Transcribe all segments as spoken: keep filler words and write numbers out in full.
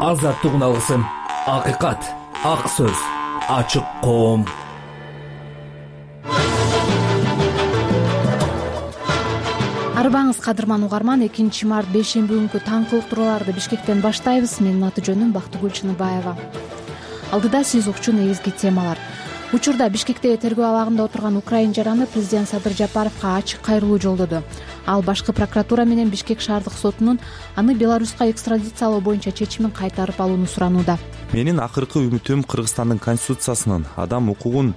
азаттыгын алгысың. Акыйкат, ак сөз, ачык коом. Арбаңыз кадырман угарман, экинчи март бейшемби күнкү таңкы уктурууларды Бишкектен баштайбыз. Менин аты жөнүм Бактыгүл Чыныбаева. Алдыда сиз укчу негизги темалар. Учурда Бишкекте тергөө абагында отурган украин жараны президент Садыр Жапаровго ачык кайрылуу жолдоду. Ал башкы прокуратура менен Бишкек шаардык сотунун аны Беларуска экстрадициялоо боюнча чечимин кайтарып алууну суранууда. Менин акыркы үмүтүм Кыргызстандын конституциясынын адам укугун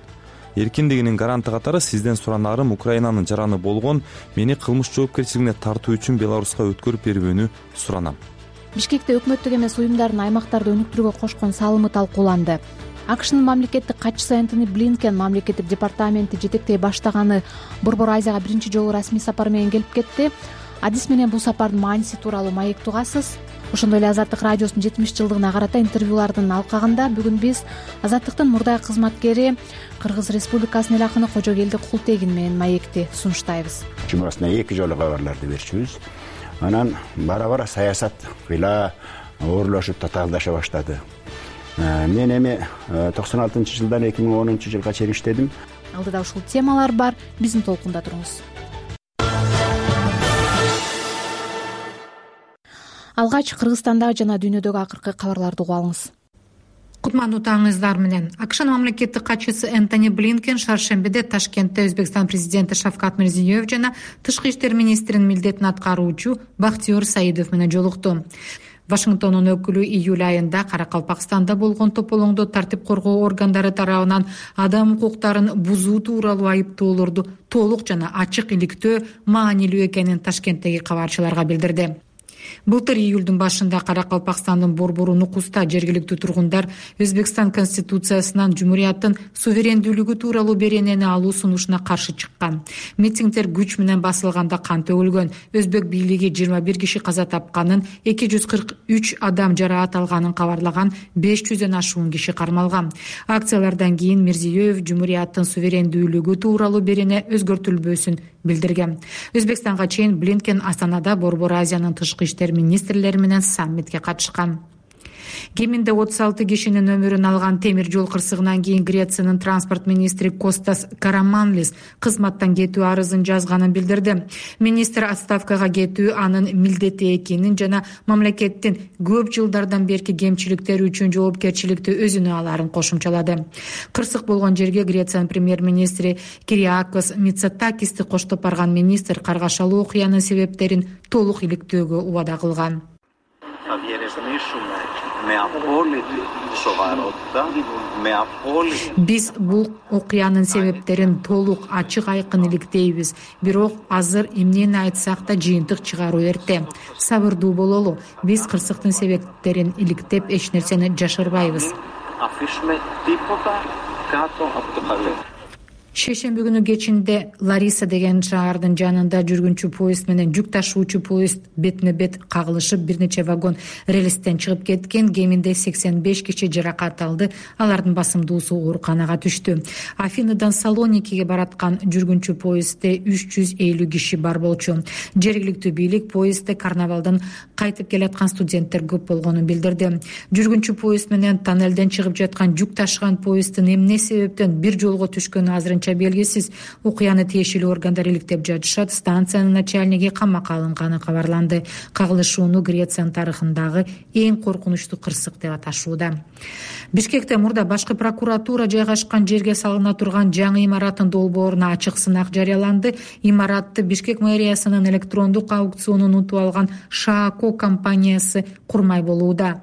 эркиндигинин гаранты катары сизден суранарым Украинанын жараны болгон мени кылмыш жоопкерчилигине тартуу үчүн Беларуска өткөрүп бербөөнү суранам. Бишкекте өкмөттүк эмес уюмдардын аймактарды өнүктүрүүгө кошкон салымы талкууланды. АКШнын мамлекеттик катчысы Энтони Блинкен мамлекеттик департаменти жетектей баштаганы Борбор Азияга биринчи жолу расмий сапар менен келип кетти. Адис менен бул сапардын мааниси тууралуу маек тугасыз. Ошондой эле Азаттык радиосунун жетимиш жылдыгына карата интервьюлардын алкагында бүгүн биз Азаттыктын мурдагы кызматкери Кыргыз Республикасынын эл акыны Кожогелди Култегин менен маекти сунуштайбыз. Жумасына эки жолу кабарларды берчүбүз. Анан бара-бара саясат кыйла оорлошуп татаалдаша баштады. Мен эми токсон алтынчы жылдан эки миң онунчу жылга чейин иштедим. Алдыда ушул темалар бар. Биздин толкунда туруңуз. Алгач Кыргызстандагы жана дүйнөдөгү акыркы кабарларды угуп алыңыз. Кутмандуу таңыңыздар менен. АКШнын мамлекеттик катчысы Энтони Блинкен шаршембиде Ташкентте Өзбекстан президенти Шавкат Мирзиёев жана тышкы иштер министринин милдетин аткаруучу Бактиёр Саидов менен жолукту. Вашингтондун өкүлү июль айында Каракалпакстанда болгон тополоңдо тартип коргоо органдары тарабынан адам укуктарын бузуу тууралуу айыптоолорду толук жана ачык иликтөө маанилүү экенин Ташкенттеги кабарчыларга билдирди. Былтыр июлдун башында Каракалпакстандын Борбору Нукуста жергиликтүү тургундар Өзбекстан конституциясынан Жумурияттын суверендүүлүгү тууралуу беренени алуу сунушуна каршы чыккан. Митингдер күч менен басылганда кан төгүлгөн. Өзбек бийлиги жыйырма бир киши каза тапканын, эки жүз кырк үч адам жараат алганын кабарлаган, беш жүздөн ашуун киши кармалган. Акциялардан кийин Мирзиёев Жумурияттын суверендүүлүгү тууралуу берене өзгөртүлбөсүн билдирген. Өзбекстанга чейин Блинкен Астанада Борбор Азиянын тышкы иштер министрлери менен саммитке катышкан. Кеминде отуз алты кишинин өмүрүн алган темир жол кырсыгынан кийин Грециянын транспорт министри Костас Караманлис кызматтан кетүү арызын жазганын билдирди. Министр отставкага кетүү анын милдети экенин жана мамлекеттин көп жылдардан берки кемчиликтери үчүн жоопкерчиликти өзүнө аларын кошумчалады. Кырсык болгон жерге Грециянын премьер-министри Кириакос Мицотакисти коштоп барган министр каргашалуу окуянын себептерин толук иликтөөгө убада кылган. Биз бул окуянын себептерин толук ачык айкын иликтейбиз. Бирок азыр эмнени айтсак да жыйынтык чыгаруу эрте. Сабырдуу бололу. Биз кырсыктын себептерин иликтеп эч нерсени жашырбайбыз. Шейшемби күнү кечинде Лариса деген шаардын жанында жүргүнчү поезд менен жүк ташуучу поезд бетине бет кагылышып, бир нече вагон рельстен чыгып кеткен. Кеминде сексен беш киши жаракат алды. Алардын басымдуусу ооруканага түштү. Афиныдан Салоникиге бараткан жүргүнчү поездде үч жүз элүү киши бар болчу. Жергиликтүү бийлик поездде карнавалдан кайтып келаткан студенттер көп болгонун билдирди. Жүргүнчү поезд менен тоннелден чыгып жаткан жүк ташыган поезддин эмне себептен бир жолго түшкөнү азырынча белгисиз. Окуяны тиешелүү органдар иликтеп жатышат. Станциянын начальниги камакка алынганы кабарланды. Кагылышууну Грециянын тарыхындагы эң коркунучтуу кырсык деп аташууда. Бишкекте мурда башкы прокуратура жайгашкан жерге салына турган жаңы имараттын долбооруна ачык сынак жарыяланды. Имаратты Бишкек мэриясынын электрондук аукционун утуп алган Шаако компаниясы курмай болууда.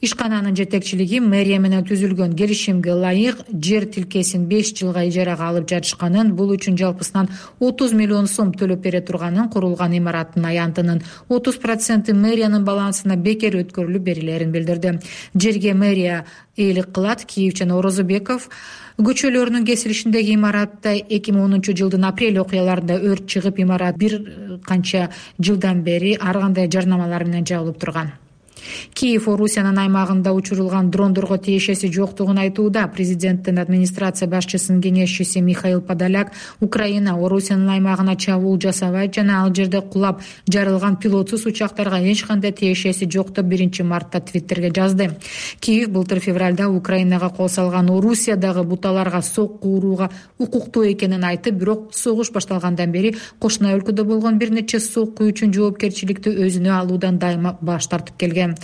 Ишкананын жетекчилиги мэрия менен түзүлгөн келишимге ылайык жер тилкесин беш жылга ижарага алып жатышканын, бул үчүн жалпысынан отуз миллион сом төлөп бере турганын, курулган имараттын аянтынын отуз проценти мэриянын балансына бекер өткөрүлүп берилерин билдирди. Жерге мэрия ээлик кылат. Киев жана Орозобеков көчөлөрүнүн кесилишиндеги имаратта эки миң онунчу жылдын апрель окуяларында өрт чыгып, имарат бир канча жылдан бери ар кандай жарнамалар менен жабылып турган. Киев Орусиянын аймагында учурулган дрондорго тиешеси жоктугун айтууда. Президенттин администрация башчысынын кеңешчиси Михаил Подоляк Украина Орусиянын аймагына чабуул жасабайт жана ал жерде кулап жарылган пилотсуз учактарга эч кандай тиешеси жок деп биринчи мартта Твиттерге жазды. Киев былтыр февралда Украинага кол салган Орусиядагы буталарга сокку урууга укуктуу экенин айтып, бирок согуш башталгандан бери кошуна өлкөдө болгон бир нече сокку үчүн жоопкерчиликти өзүнө алуудан дайыма баш тартып келген.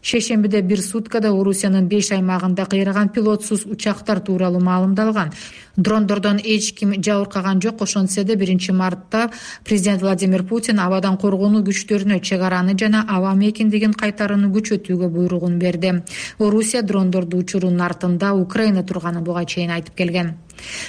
Шейшембиде бир суткада Орусиянын беш аймагында кыйраган пилотсуз учактар тууралуу маалымдалган. Дрондордон эч ким жабыркаган жок. Ошентсе да биринчи мартта президент Владимир Путин абадан коргонуу күчтөрүнө чек араны жана аба мейкиндигин кайтарууну күчөтүүгө буйругун берди. Орусия дрондорду учуруунун артында Украина турганын буга чейин айтып келген.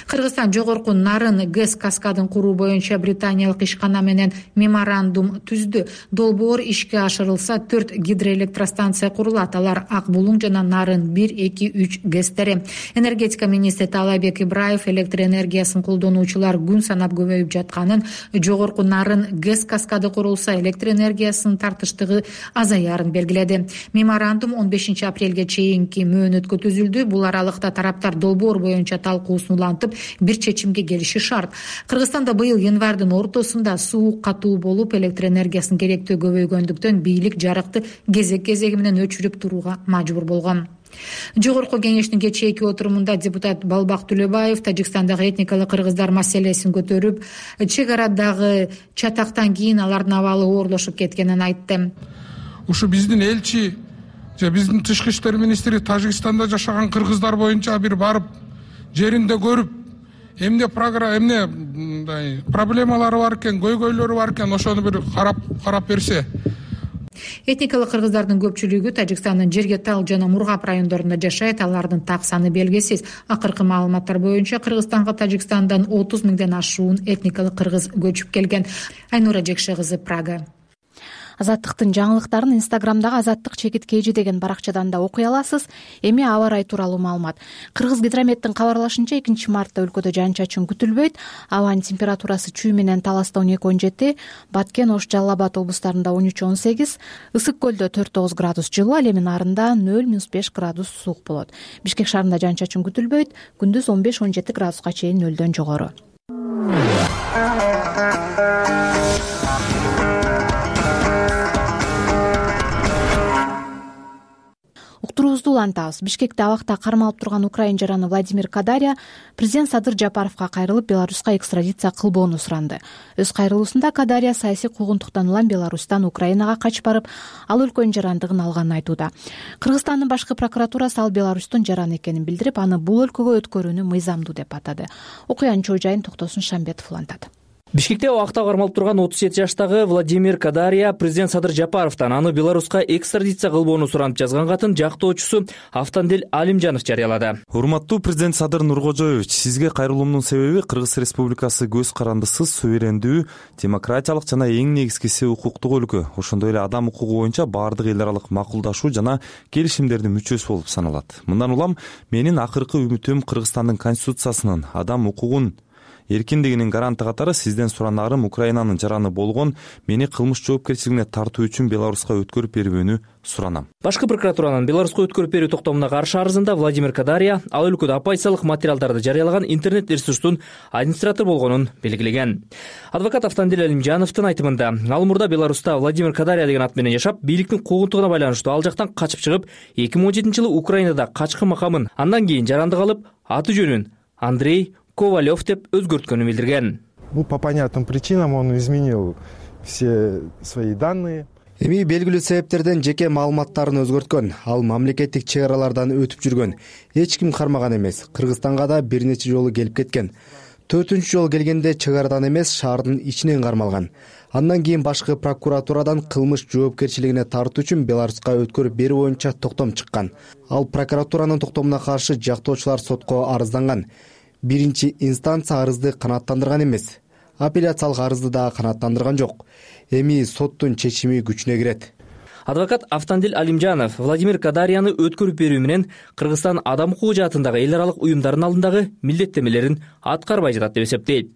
Кыргызстан жогорку Нарын ГЭС каскадын куруу боюнча британиялык ишкана менен меморандум түздү. Долбоор ишке ашырылса төрт гидроэлектростанция курулат. Алар Ак Булуң жана Нарын бир, эки, үч ГЭСтери. Энергетика министри Таалайбек Ибраев электр энергиясын колдонуучулар күн санап көбөйүп жатканын, жогорку Нарын ГЭС каскады курулса электр энергиясынын тартыштыгы азаярын белгиледи. Меморандум он бешинчи апрелге чейинки мөөнөткө түзүлдү. Бул аралыкта тараптар долбоор боюнча талкуусун улантып бир чечимге келиши шарт. Кыргызстанда быйыл январдын ортосунда суу катуу болуп, электр энергиясынын керектөө көбөйгөндүктөн бийлик жарыкты кезек-кезеги менен өчүрүп турууга мажбур болгон. Жогорку кеңештин кечээки отурумунда депутат Балбак Түлөбаев Тажикстандагы этникалык кыргыздар маселесин көтөрүп, чек арадагы чатактан кийин алардын абалы оорлошуп кеткенин айтты. Ушу биздин элчи же биздин тышкы иштер министри Тажикстанда жашаган кыргыздар боюнча бир барып жеринде көрүп, эмне программа, эмне мындай проблемалары бар экен, көйгөйлөрү бар экен, ошону бир карап карап берсе. Этникалык кыргыздардын көпчүлүгү Тажикстандын Жерге Тал жана Мургап райондорунда жашайт. Алардын так саны белгисиз. Акыркы маалыматтар боюнча Кыргызстанга Тажикстандан отуз миңден ашуун этникалык кыргыз көчүп келген. Айнура Жекше кызы, Прага. Азаттыктын жаңылыктарын Инстаграмдагы Азаттык чекит kg деген баракчадан да окуй аласыз. Эми аба ырайы тууралуу маалымат. Кыргыз гидрометтин кабарлашынча экинчи мартта өлкөдө жаан-чачын күтүлбөйт. Абанын температурасы Чүй менен Таласта он эки он жети, Баткен, Ош, Жалал Абад облустарында он үч он сегиз, Ысык көлдө төрт тогуз градус жылуу, ал эми Нарында нөл беш градус суук болот. Бишкек шаарында жаан-чачын күтүлбөйт. Күндүз он беш он жети градуска чейин нөлдөн жогору. Уктуруубузду улантабыз. Бишкекте абакта кармалып турган украин жараны Владимир Кадария президент Садыр Жапаровго кайрылып, Беларуска экстрадиция кылбоону суранды. Өз кайрылуусунда Кадария саясий куугунтуктан улам Беларустан Украинага качып барып, ал өлкөнүн жарандыгын алганын айтууда. Кыргызстандын башкы прокуратурасы ал Беларустун жараны экенин билдирип, аны бул өлкөгө өткөрүүнү мыйзамдуу деп атады. Окуянын чоо жайын Токтосун Шамбетов улантат. Бишкекте абакта кармалып турган отуз жети жаштагы Владимир Кадария президент Садыр Жапаровдон аны Беларуска экстрадиция кылбоону суранып жазган катын жактоочусу Автандел Алимжанов жарыялады. Урматтуу президент Садыр Нуркожоевич, сизге кайрылуумдун себеби Кыргыз Республикасы көз карандысыз, суверендүү, демократиялык жана эң негизгиси укуктук өлкө. Ошондой эле адам укугу боюнча баардык эл аралык макулдашуу жана келишимдердин мүчөсү болуп саналат. Мындан улам менин акыркы үмүтүм Кыргызстандын конституциясынын адам укугун эркиндигинин гаранты катары сизден суранарым Украинанын жараны болгон мени кылмыш жоопкерчилигине тартуу үчүн Беларуска өткөрүп берүүнү суранам. Башкы прокуратуранын Беларуска өткөрүп берүү токтомуна каршы арызында Владимир Кадария ал өлкөдө оппозициялык материалдарды жарыялаган интернет ресурстун администратор болгонун белгилеген. Адвокат Автандел Алимжановдун айтымында, ал мурда Беларуста Владимир Кадария деген ат менен жашап, бийликтин куугунтугуна байланыштуу ал жактан качып чыгып, эки миң он жетинчи жылы Украинада качкы макамын, андан кийин жарандык алып, аты жөнүн Андрей Ковалев деп өзгөрткөнүн билдирген. Ну, по понятным причинам он изменил все свои данные. Эми белгилүү себептерден жеке маалыматтарын өзгөрткөн. Ал мамлекеттик чек аралардан өтүп жүргөн. Эч ким кармаган эмес. Кыргызстанга да бир нече жолу келип кеткен. Төртүнчү жолу келгенде чек арадан эмес, шаардын ичинен кармалган. Андан кийин башкы прокуратурадан кылмыш жоопкерчилигине тартуу үчүн Беларуска өткөрүп берүү боюнча токтом чыккан. Ал прокуратуранын токтомуна каршы жактоочулар сотко арызданган. Биринчи инстанция арызды канааттандырган эмес. Апелляциялык арызды да канааттандырган жок. Эми соттун чечими күчүнө кирет. Адвокат Автандил Алимжанов Владимир Кадарияны өткөрүп берүү менен Кыргызстан адам укугу жаатындагы эл аралык уюмдардын алдындагы милдеттемелерин аткарбай жатат деп эсептейт.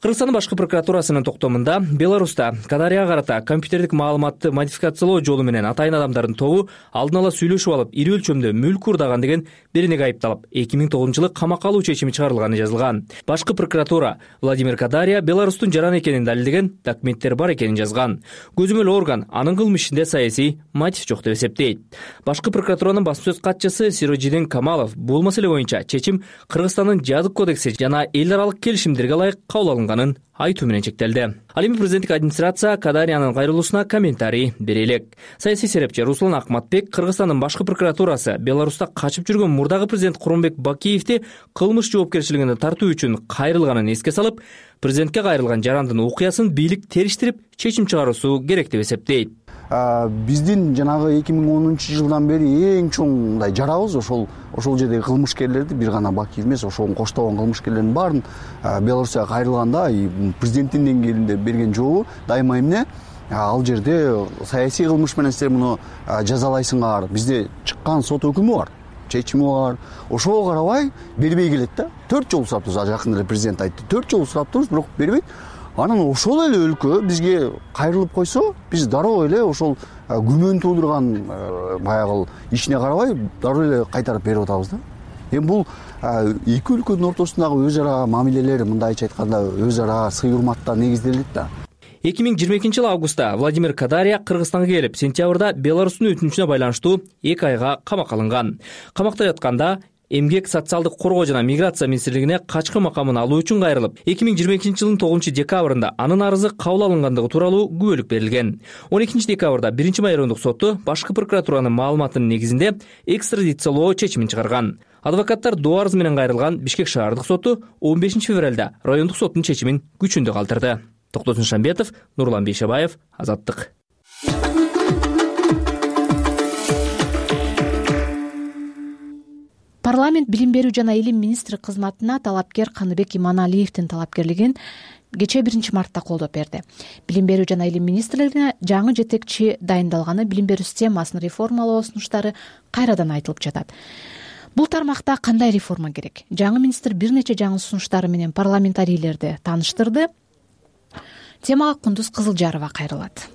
Кыргызстандын башкы прокуратурасынын токтомунда Беларуста Кадарияга карата компьютердик маалыматты модификациялоо жолу менен атайын адамдардын тобу алдын ала сүйлөшүп алып, ири өлчөмдө мүлк уурдаган деген беренеге айыпталып, эки миң тогузунчу жылы камакка алуу чечими чыгарылганы жазылган. Башкы прокуратура Владимир Кадария Беларустун жаран экенин далилдеген документтер бар экенин жазган. Көзөмөл орган анын кылмыш ишинде саясий мотив жок деп эсептейт. Башкы прокуратуранын басма сөз катчысы Сирожидин Камалов бул маселе боюнча чечим Кыргызстандын жазык кодекси жана эл аралык келишимдерге ылайык кабыл алынганын айтуу менен чектелди. Ал эми президенттик администрация Кадариянын кайрылуусуна комментарий бере элек. Саясий серепчи Руслан Акматбек Кыргызстандын башкы прокуратурасы Беларуста качып жүргөн мурдагы президент Курманбек Бакиевди кылмыш жоопкерчилигине тартуу үчүн кайрылганын эске салып, президентке кайрылган жарандын окуясын бийлик териштирип чечим чыгаруусу керек деп эсептейт. Биздин жанагы эки миң онунчу жылдан бери эң чоң мындай жарабыз ошол ошол жердеги кылмышкерлерди, бир гана Бакиев эмес, ошого коштогон кылмышкерлердин баарын Беларусияга кайрылганда президенттин деңгээлинде берген жообу дайыма эмне? Ал жерде саясий кылмыш менен силер муну жазалайсыңар. Бизде чыккан сот өкүмү бар, чечими бар. Ошого карабай бербей келет да. төрт жолу сураптырбыз, жакында эле президент айтты. төрт жолу сураптырбыз, бирок бербейт. Анан ошол эле өлкө бизге кайрылып койсо, биз дароо эле ошол күмөн туудурган баягы ишине карабай дароо эле кайтарып берип атабыз да. Эми бул эки өлкөнүн ортосундагы өз ара мамилелер, мындайча айтканда, өз ара сый урматта негизделет да. эки миң жыйырма экинчи жылы августта Владимир Кадария Кыргызстанга келип, сентябрда Беларустун өтүнүчүнө байланыштуу эки айга камакка алынган. Камакта жатканда Эмгек социалдык коргоо жана миграция министрлигине качкы макамын алуу үчүн кайрылып, эки миң жыйырма экинчи жылдын тогузунчу декабрында анын арызы кабыл алынгандыгы тууралуу күбөлүк берилген. он экинчи декабрда биринчи майрондук соту башкы прокуратуранын маалыматынын негизинде экстрадициялоо чечимин чыгарган. Адвокаттар доо арыз менен кайрылган Бишкек шаардык соту он бешинчи февралда райондук соттун чечимин күчүндө калтырды. Токтосун Шамбетов, Нурлан Бейшебаев, Азаттык. Парламент билим берүү жана илим министри кызматына талапкер Каныбек Иманалиевдин талапкерлигин кечээ биринчи мартта колдоп берди. Билим берүү жана илим министрлигине жаңы жетекчи дайындалганы билим берүү системасын реформалоо сунуштары кайрадан айтылып жатат. Бул тармакта кандай реформа керек? Жаңы министр бир нече жаңы сунуштары менен парламентарийлерди тааныштырды. Темага Кундуз Кызылжарова кайрылат.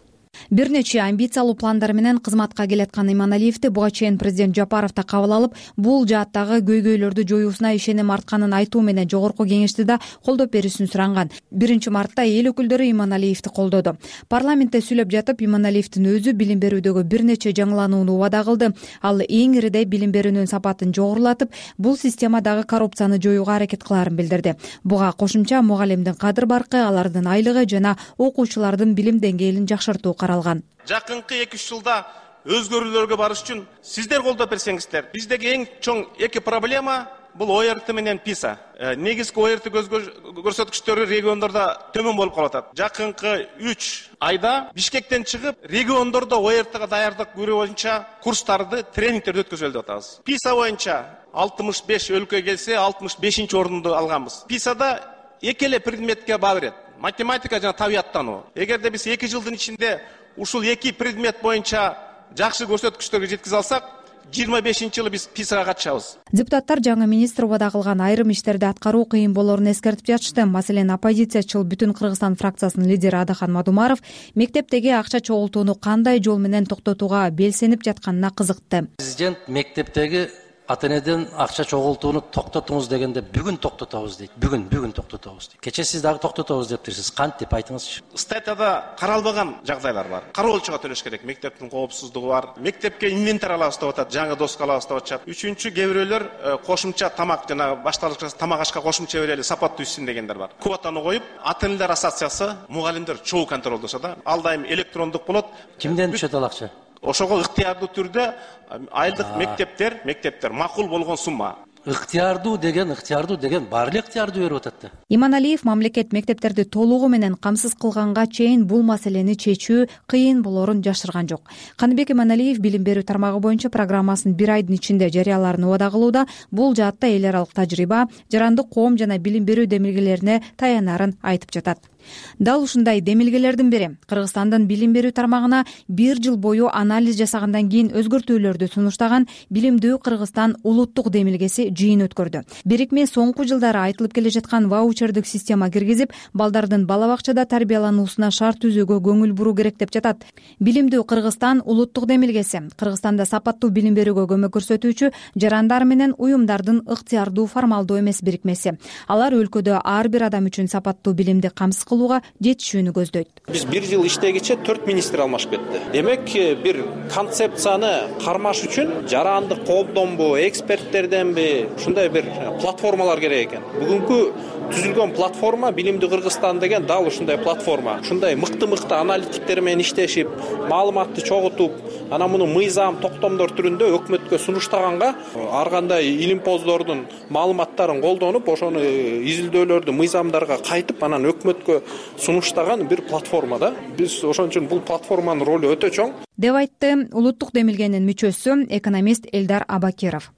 Бир нече амбициялуу пландар менен кызматка келаткан Иманалиевди буга чейин президент Жапаров да кабыл алып, бул жааттагы көйгөйлөрдү жоюусуна ишеним артканын айтуу менен жогорку кеңешти да колдоп берүүсүн суранган. биринчи мартта эл өкүлдөрү Иманалиевди колдоду. Парламентте сүйлөп жатып, Иманалиевдин өзү билим берүүдөгү бир нече жаңыланууну убада кылды. Ал эң иридей билим берүүнүн сапатын жогорулатып, бул системадагы коррупцияны жоюуга аракет кылаарын билдирди. Буга кошумча мугалимдин кадыр баркы, алардын айлыгы жана окуучулардын билим деңгээлин жакшыртуу каралган. Жакынкы эки үч жылда өзгөрүүлөргө барыш үчүн сиздер колдоп берсеңиздер. Биздеги эң чоң эки проблема бул о эр тэ менен писа. Негизги о эр тэ көрсөткүчтөрү региондордо төмөн болуп калып атат. Жакынкы үч айда Бишкектен чыгып, региондордо о эр тэге даярдык көрүү боюнча курстарды, тренингтерди өткөзөлүп деп атабыз. писа боюнча алтымыш беш өлкө келсе, алтымыш бешинчи орунду алганбыз. писада эки эле предметке баа берет. Математика жана табияттануу. Эгерде биз эки жылдын ичинде ушул эки предмет боюнча жакшы көрсөткүчтөргө жеткизе алсак, жыйырма бешинчи жылы биз писага катышабыз. Депутаттар жаңы министр убада кылган айрым иштерди аткаруу кыйын болоорун эскертип жатышты. Маселен, оппозициячыл Бүтүн Кыргызстан фракциясынын лидери Адахан Мадумаров мектептеги акча чогултууну кандай жол менен токтотууга белсенип жатканына кызыкты. Президент мектептеги ата-энеден акча чогултууну токтотуңуз дегенде бүгүн токтотобуз дейт. Бүгүн, бүгүн токтотобуз дейт. Кече сиз дагы токтотобуз дептирсиз. Кантип айтыңызчы? Статьяда каралбаган жагдайлар бар. Кароолчуга төлөш керек. Мектептин коопсуздугу бар. Мектепке инвентарь алабыз деп атат, жаңы доска алабыз деп атышат. Үчүнчү, кээ бирөөлөр кошумча тамак жана башталгыч тамак ашка кошумча берели, сапаттуу ишсин дегендер бар. Квотаны коюп, ата-энелер ассоциациясы мугалимдер чогуу контролдошот да. Ал дайым электрондук болот. Кимден түшөт ал акча? Ошого ыктыярдуу түрдө айлык мектептер, мектептер макул болгон сумма. Ыктыярдуу деген, ыктыярдуу деген бар эле ыктыярдуу берип атат да. Иманалиев мамлекет мектептерди толугу менен камсыз кылганга чейин бул маселени чечүү кыйын болоорун жашырган жок. Каныбек Иманалиев билим берүү тармагы боюнча программасын бир айдын ичинде жарыялаарын убада кылууда, бул жаатта эл аралык тажрыйба, жарандык коом жана билим берүү демилгелерине таянарын айтып жатат. дал ушундай демилгелердин бири Кыргызстандын билим берүү тармагына бир жыл бою анализ жасагандан кийин өзгөртүүлөрдү сунуштаган Билимдүү Кыргызстан улуттук демилгеси жыйын өткөрдү. Бирикме соңку жылдары айтылып келе жаткан ваучердик система киргизип, балдардын бала бакчада тарбиялануусуна шарт түзүүгө көңүл буруу керек деп жатат. Билимдүү Кыргызстан улуттук демилгеси Кыргызстанда сапаттуу билим берүүгө көмөк көрсөтүүчү жарандар менен уюмдардын ыктыярдуу формалдуу эмес бирикмеси. Алар өлкөдө ар бир адам үчүн сапаттуу билимди камсыз кылууга жетишүүнү көздөйт. Биз бир жыл иштегиче төрт министр алмашып кетти. Демек бир концепцияны кармаш үчүн жарандык коомдонбу, эксперттерденби ушундай бир платформалар керек экен. Бүгүнкү түзүлгөн платформа Билимдүү Кыргызстан деген дал ушундай платформа. Ушундай мыкты-мыкты аналитиктер менен иштешип, маалыматты чогултуп, анан муну мыйзам, токтомдор түрүндө өкмөткө сунуштаганга, ар кандай илимпоздордун маалыматтарын колдонуп, ошону изилдөөлөрдү мыйзамдарга кайтып, анан өкмөткө сунуштаган бир платформа да. Биз ошон үчүн бул платформанын ролу өтө чоң деп айтты улуттук демилгенин мүчөсү экономист Элдар Абакиров.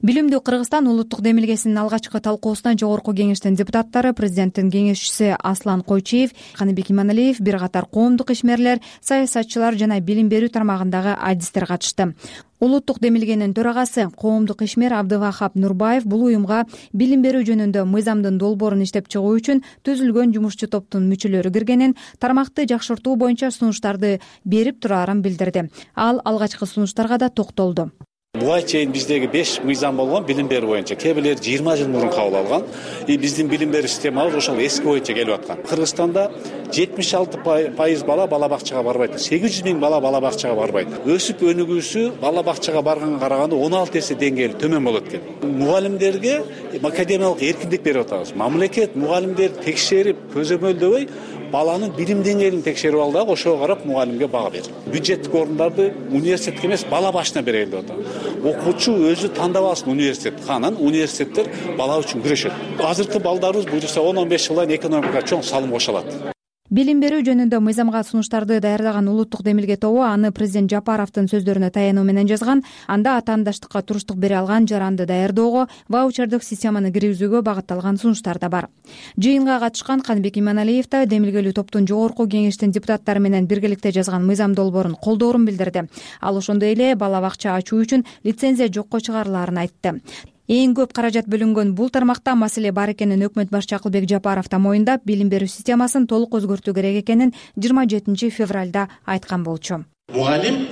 Билимдүү Кыргызстан улуттук демилгесинин алгачкы талкуусуна жогорку кеңештин депутаттары, президенттин кеңешчиси Аслан Койчиев, Каныбек Иманалиев, бир катар коомдук ишмерлер, саясатчылар жана билим берүү тармагындагы адистер катышты. Улуттук демилгенин төрагасы коомдук ишмер Абдывахап Нурбаев бул уюмга билим берүү жөнүндө мыйзамдын долбоорун иштеп чыгуу үчүн түзүлгөн жумушчу топтун мүчөлөрү киргенин, тармакты жакшыртуу боюнча сунуштарды берип турарын билдирди. Ал алгачкы сунуштарга да токтолду. Буга чейин биздеги беш мыйзам болгон билим берүү боюнча. Кээ бирлери жыйырма жыл мурун кабыл алган. И биздин билим берүү системабыз ошол эски боюнча келип аткан. Кыргызстанда жетимиш алты пайыз бала бала бакчага барбайт. сегиз жүз миң бала бала бакчага барбайт. Өсүп өнүгүүсү бала бакчага барганга караганда он алты эсе деңгээли төмөн болот экен. Мугалимдерге академиялык эркиндик берип атабыз. Мамлекет мугалимдерди текшерип, көзөмөлдөбөй, баланын билим деңгээлин текшерип ал дагы ошого карап мугалимге бага берет. Бюджеттик орундарды университетке эмес, бала башына берели деп атат. Окуучу өзү тандап алсын университетти, анан университеттер бала үчүн күрөшөт. Азыркы балдарыбыз буюрса он он беш жылдан экономикага чоң салым кошо алат. Билим берүү жөнүндө мыйзамга сунуштарды даярдаган улуттук демилге тобу аны президент Жапаровдун сөздөрүнө таянуу менен жазган. Анда атаандаштыкка туруштук бере алган жаранды даярдоого, ваучердик системаны киргизүүгө багытталган сунуштар да бар. Жыйынга катышкан Каныбек Иманалиев да демилгелүү топтун жогорку кеңештин депутаттары менен биргеликте жазган мыйзам долбоорун колдоорун билдирди. Ал ошондой эле бала бакча ачуу үчүн лицензия жокко чыгарылаарын айтты. Эң көп каражат бөлүнгөн бул тармакта маселе бар экенин өкмөт башчы Акылбек Жапаров да моюндап, билим берүү системасын толук өзгөртүү керек экенин жыйырма жетинчи февралда айткан болчу. Мугалим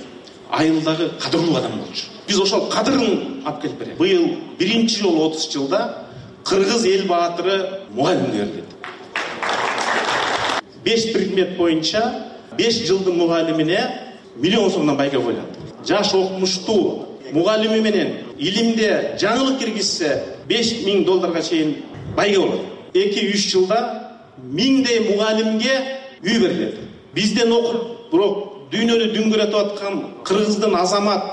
айылдагы кадырлуу адам болчу. Биз ошол кадырын алып келип берели. Быйыл биринчи жолу отуз жылда кыргыз эл баатыры мугалимге берилет. беш предмет боюнча беш жылдын мугалимине миллион сомдон байга коюлат. Жаш окумуштуу мугалими менен илимде жаңылык киргизсе беш миң долларга чейин байга болот. эки үч жылда миңдей мугалимге үй берилет. Бизден окуп, бирок дүйнөнү дүңгүрөтүп аткан кыргыздын азамат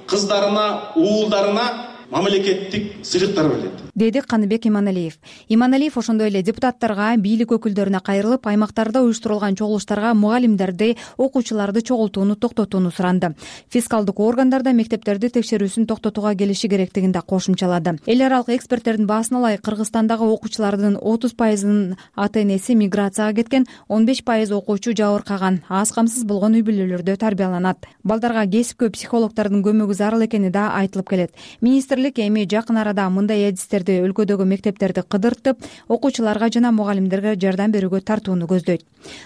кыздарына, уулдарына мамлекеттик сыйлыктар берилет, деди Каныбек Иманалиев. Иманалиев ошондой эле депутаттарга, бийлик өкүлдөрүнө кайрылып, аймактарда уюштурулган чогулуштарга мугалимдерди, окуучуларды чогултууну токтотууну суранды. Фискалдык органдарда мектептерди текшерүүсүн токтотууга келиши керектигин да кошумчалады. Эл аралык эксперттердин баасына ылайык Кыргызстандагы окуучулардын отуз пайызынын ата энеси миграцияга кеткен, он беш пайыз окуучу жабыркаган, аз камсыз болгон үй бүлөлөрдө тарбияланат. Балдарга кесипкөй психологдордун көмөгү зарыл экени да айтылып келет. Министрлик эми жакын арада мындай адистерди өлкөдөгү мектептерди кыдыртып, окуучуларга жана мугалимдерге жардам берүүгө тартууну көздөйт.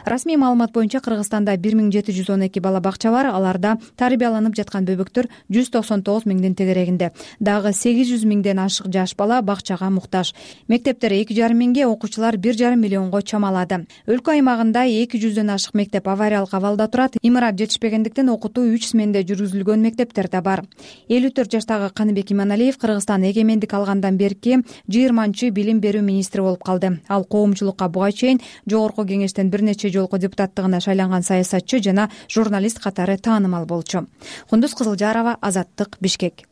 Расмий маалымат боюнча Кыргызстанда бир миң жети жүз он эки бала бакча бар. Аларда тарбияланып жаткан бөбөктөр жүз токсон тогуз миңдин тегерегинде. Дагы сегиз жүз миңден ашык жаш бала бакчага муктаж. Мектептер эки жарым миңге, окуучулар бир жарым миллионго чамалады. Өлкө аймагында эки жүздөн ашык мектеп авариялык абалда турат. Имарат жетишпегендиктен окутуу үч сменде жүргүзүлгөн мектептер да бар. элүү төрт жаштагы Каныбек Иманалиев Кыргызстан эгемендик алгандан берки жыйырманчы билим берүү министри болуп калды. Ал коомчулукка буга чейин жогорку кеңештен бир нече жолку депутаттыгына шайланган саясатчы жана журналист катары таанымал болчу. Кундуз Кызылжарова, Азаттык, Бишкек.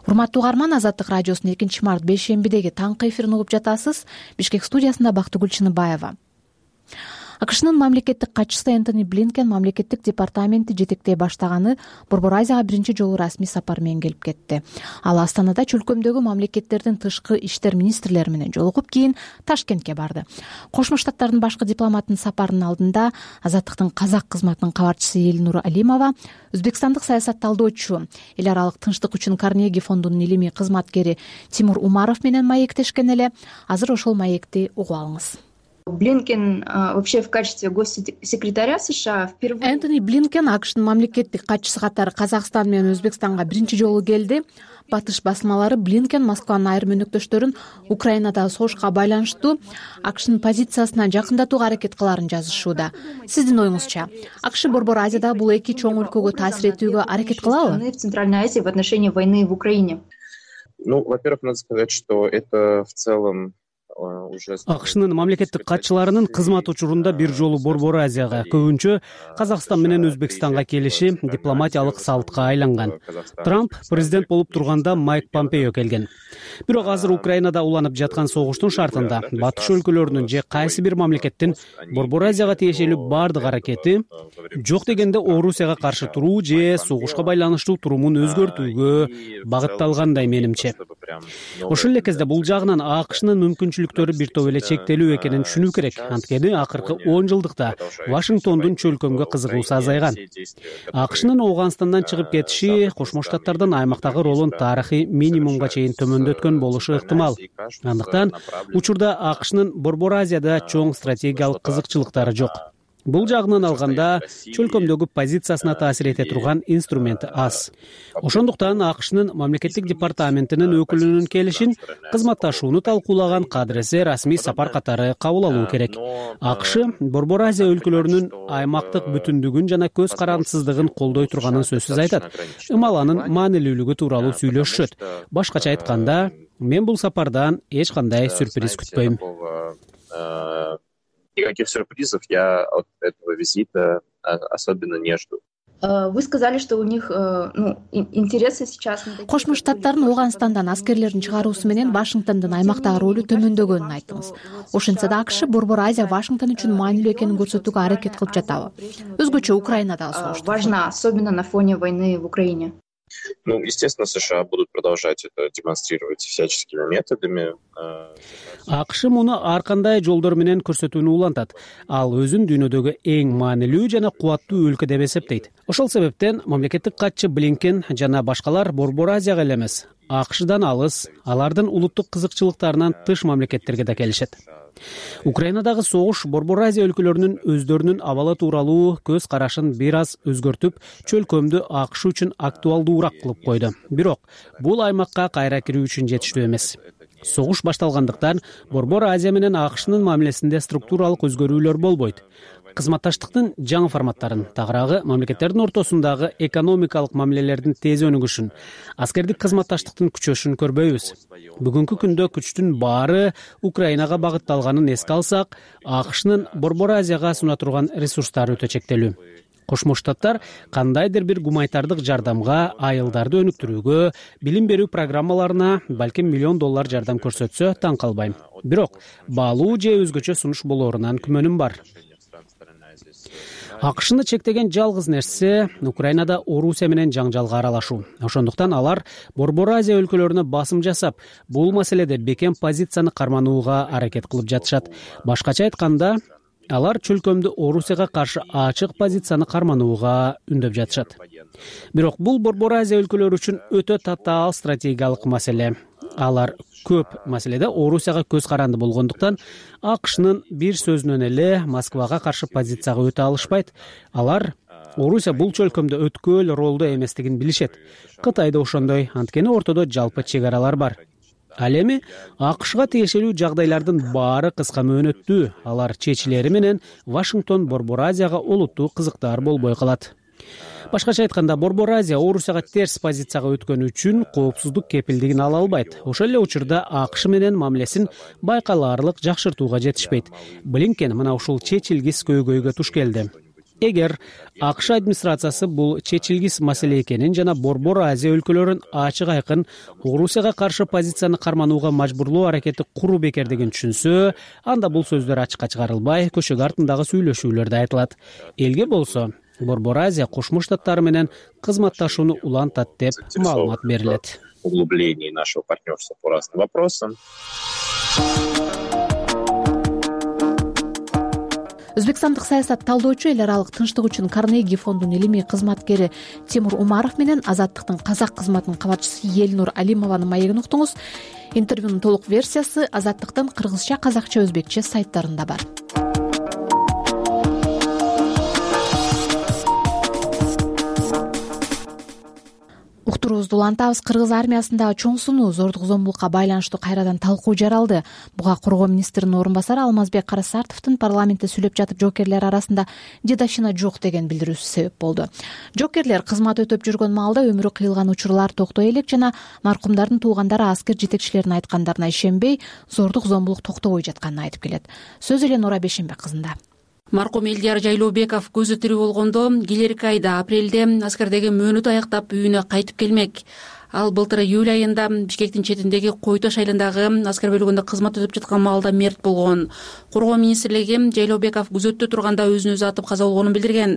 Урматтуу угарман, Азаттык радиосунун экинчи март бейшембидеги таңкы эфирин угуп жатасыз. Бишкек студиясында Бактыгүл Чыныбаева. акшнын мамлекеттик катчысы Энтони Блинкен мамлекеттик департаменти жетектей баштаганы Борбор Азияга биринчи жолу расмий сапар менен келип кетти. Ал Астанада чөлкөмдөгү мамлекеттердин тышкы иштер министрлери менен жолугуп, кийин Ташкентке барды. Кошмо Штаттардын башкы дипломатынын сапарынын алдында Азаттыктын казак кызматынын кабарчысы Элнур Алимова, өзбекстандык саясат талдоочу, эл аралык тынчтык үчүн Карнеги фондунун илимий кызматкери Тимур Умаров менен маектешкен эле. Азыр ошол маекти угуп алыңыз. Блинкен вообще в качестве госсекретаря США впервые. Энтони Блинкен акшнын мамлекеттик катчысы катары Казакстан менен Өзбекстанга биринчи жолу келди. Батыш басмалары Блинкен Москванын айрым өнөктөштөрүн Украинадагы согушка байланыштуу акшнын позициясына жакындатууга аракет кылаарын жазышууда. Сиздин оюңузча, акш Борбор Азияда бул эки чоң өлкөгө таасир этүүгө аракет кылабы? В Центральной Азии в отношении войны в Украине. Ну, во-первых, надо сказать, что это в целом акшнын мамлекеттик катчыларынын кызмат учурунда бир жолу Борбор Азияга, көбүнчө Казакстан менен Өзбекстанга келиши дипломатиялык салтка айланган. Трамп президент болуп турганда Майк Помпео келген. Бирок азыр Украинада уланып жаткан согуштун шартында батыш өлкөлөрүнүн же кайсы бир мамлекеттин Борбор Азияга тиешелүү бардык аракети жок дегенде Орусияга каршы туруу же согушка байланыштуу турумун өзгөртүүгө багытталгандай менимче. Ошол эле кезде бул жагынан акшнын мүмкүнчүлүктөрү бир топ эле чектелүү экенин түшүнүү керек. Анткени акыркы он жылдыкта Вашингтондун чөлкөмгө кызыгуусу азайган. акшнын Ооганстандан чыгып кетиши Кошмо Штаттардын аймактагы ролун тарыхый минимумга чейин төмөндөткөн болушу ыктымал. Андыктан учурда акшнын Борбор Азияда чоң стратегиялык кызыкчылыктары жок. Бул жагынан алганда чөлкөмдөгү позициясына таасир эте турган инструменти аз. Ошондуктан акшнын мамлекеттик департаментинин өкүлүнүн келишин кызматташууну талкуулаган кадыресе расмий сапар катары кабыл алуу керек. акш Борбор Азия өлкөлөрүнүн аймактык бүтүндүгүн жана көз карандысыздыгын колдой турганын сөзсүз айтат. Ымал анын маанилүүлүгү тууралуу сүйлөшүшөт. Башкача айтканда, мен бул сапардан эч кандай сюрприз күтпөйм. Никаких сюрпризов я от этого визита особенно не жду. Вы сказали, что у них ну, интересы сейчас. Кошмо Штаттардын Ооганстандан аскерлерин чыгаруусу менен Вашингтондун аймактагы ролу төмөндөгөнүн айттыңыз. Ошентсе да акш Борбор Азия Вашингтон үчүн маанилүү экенин көрсөтүүгө аракет кылып жатабы? Өзгөчө Украинадагы согуш. Важна, особенно на фоне войны в Украине. Ну, естественно, США будут продолжать это демонстрировать всяческими методами. акш муну ар кандай жолдор менен көрсөтүүнү улантат. Ал өзүн дүйнөдөгү эң маанилүү жана кубаттуу өлкө деп эсептейт. Ошол себептен мамлекеттик катчы Блинкен жана башкалар Борбор Азияга эле эмес, акшдан алыс, алардын улуттук кызыкчылыктарынан тыш мамлекеттерге да келишет. Украинадагы согуш Борбор Азия өлкөлөрүнүн өздөрүнүн абалы тууралуу көз карашын бир аз өзгөртүп, чөлкөмдү акш үчүн актуалдуураак кылып койду. Бирок бул аймакка кайра кирүү үчүн жетиштүү эмес. Согуш башталгандыктан Борбор Азия менен акшнын мамилесинде структуралык өзгөрүүлөр болбойт. Кызматташтыктын жаңы форматтарын, тагыраагы мамлекеттердин ортосундагы экономикалык мамилелердин тез өнүгүшүн, аскердик кызматташтыктын күчөшүн көрбөйбүз. Бүгүнкү күндө күчтүн баары Украинага багытталганын эске алсак, акшнын Борбор Азияга суна турган ресурстары өтө чектелүү. Кошмо Штаттар кандайдыр бир гуманитардык жардамга, айылдарды өнүктүрүүгө, билим берүү программаларына балким миллион доллар жардам көрсөтсө таң калбайм. Бирок баалуу же өзгөчө сунуш болоорунан күмөнүм бар. акшны чектеген жалгыз нерсе Украинада Орусия менен жаңжалга аралашуу. Ошондуктан алар Борбор Азия өлкөлөрүнө басым жасап, бул маселеде бекем позицияны карманууга аракет кылып жатышат. Башкача айтканда, алар чөлкөмдү Орусияга каршы ачык позицияны карманууга үндөп жатышат. Бирок бул Борбор Азия өлкөлөрү үчүн өтө татаал стратегиялык маселе. Алар көп маселеде Орусияга көз каранды болгондуктан акшнын бир сөзүнөн эле Москвага каршы позицияга өтө алышпайт. Алар Орусия бул чөлкөмдө өткөл ролдо эместигин билишет. Кытай да ошондой, анткени ортодо жалпы чек аралар бар. Ал эми акшга тиешелүү жагдайлардын баары кыска мөөнөттүү, алар чечилери менен Вашингтон Борбор Азияга олуттуу кызыктар болбой калат. Башкача айтканда, Борбор Азия Орусияга терс позицияга өткөнү үчүн коопсуздук кепилдигин ала албайт. Ошол эле учурда акш менен мамилесин байкалаарлык жакшыртууга жетишпейт. Блинкен мына ушул чечилгис көйгөйгө туш келди. эгер акш администрациясы бул чечилгис маселе экенин жана Борбор Азия өлкөлөрүн ачык айкын Орусияга каршы позицияны карманууга мажбурлоо аракети куруу бекердигин түшүнсө, анда бул сөздөр ачыкка чыгарылбай, көчөгө артындагы сүйлөшүүлөрдө айтылат. Элге болсо Борбор Азия Кошмо Штаттары менен кызматташууну улантат деп маалымат берилет. Углубление нашего партнерства по разным вопросам. Өзбекстандык саясат талдоочу, эл аралык тынчтык үчүн Карнеги фондунун илимий кызматкери Тимур Умаров менен Азаттыктын казак кызматынын кабарчысы Элнур Алимованын маегин уктуңуз. Интервьюнун толук версиясы Азаттыктын кыргызча, казакча, өзбекче сайттарында бар. Уктуруубузду улантабыз. Кыргыз армиясындагы чоң сунуу, зордук зомбулукка байланыштуу кайрадан талкуу жаралды. Буга коргоо министринин орун басары Алмазбек Карасартовдун парламентте сүйлөп жатып жоокерлер арасында дедовщина жок деген билдирүүсү себеп болду. Жоокерлер кызмат өтөп жүргөн маалда өмүрү кыйылган учурлар токтой элек жана маркумдардын туугандары аскер жетекчилеринин айткандарына ишенбей, зордук зомбулук токтобой жатканын айтып келет. Сөз эле Нора Бешенбек кызында. Маркум Элдияр Жайлообеков көзү тирүү болгондо келерки айда апрелде аскердеги мөөнөт аяктап үйүнө кайтып келмек. Ал былтыр июль айында Бишкектин четиндеги Койтош айылындагы аскер бөлүгүндө кызмат өтүп жаткан маалда мерт болгон. Коргоо министрлиги Жайлообеков күзөттө турганда өзүн өзү атып каза болгонун билдирген.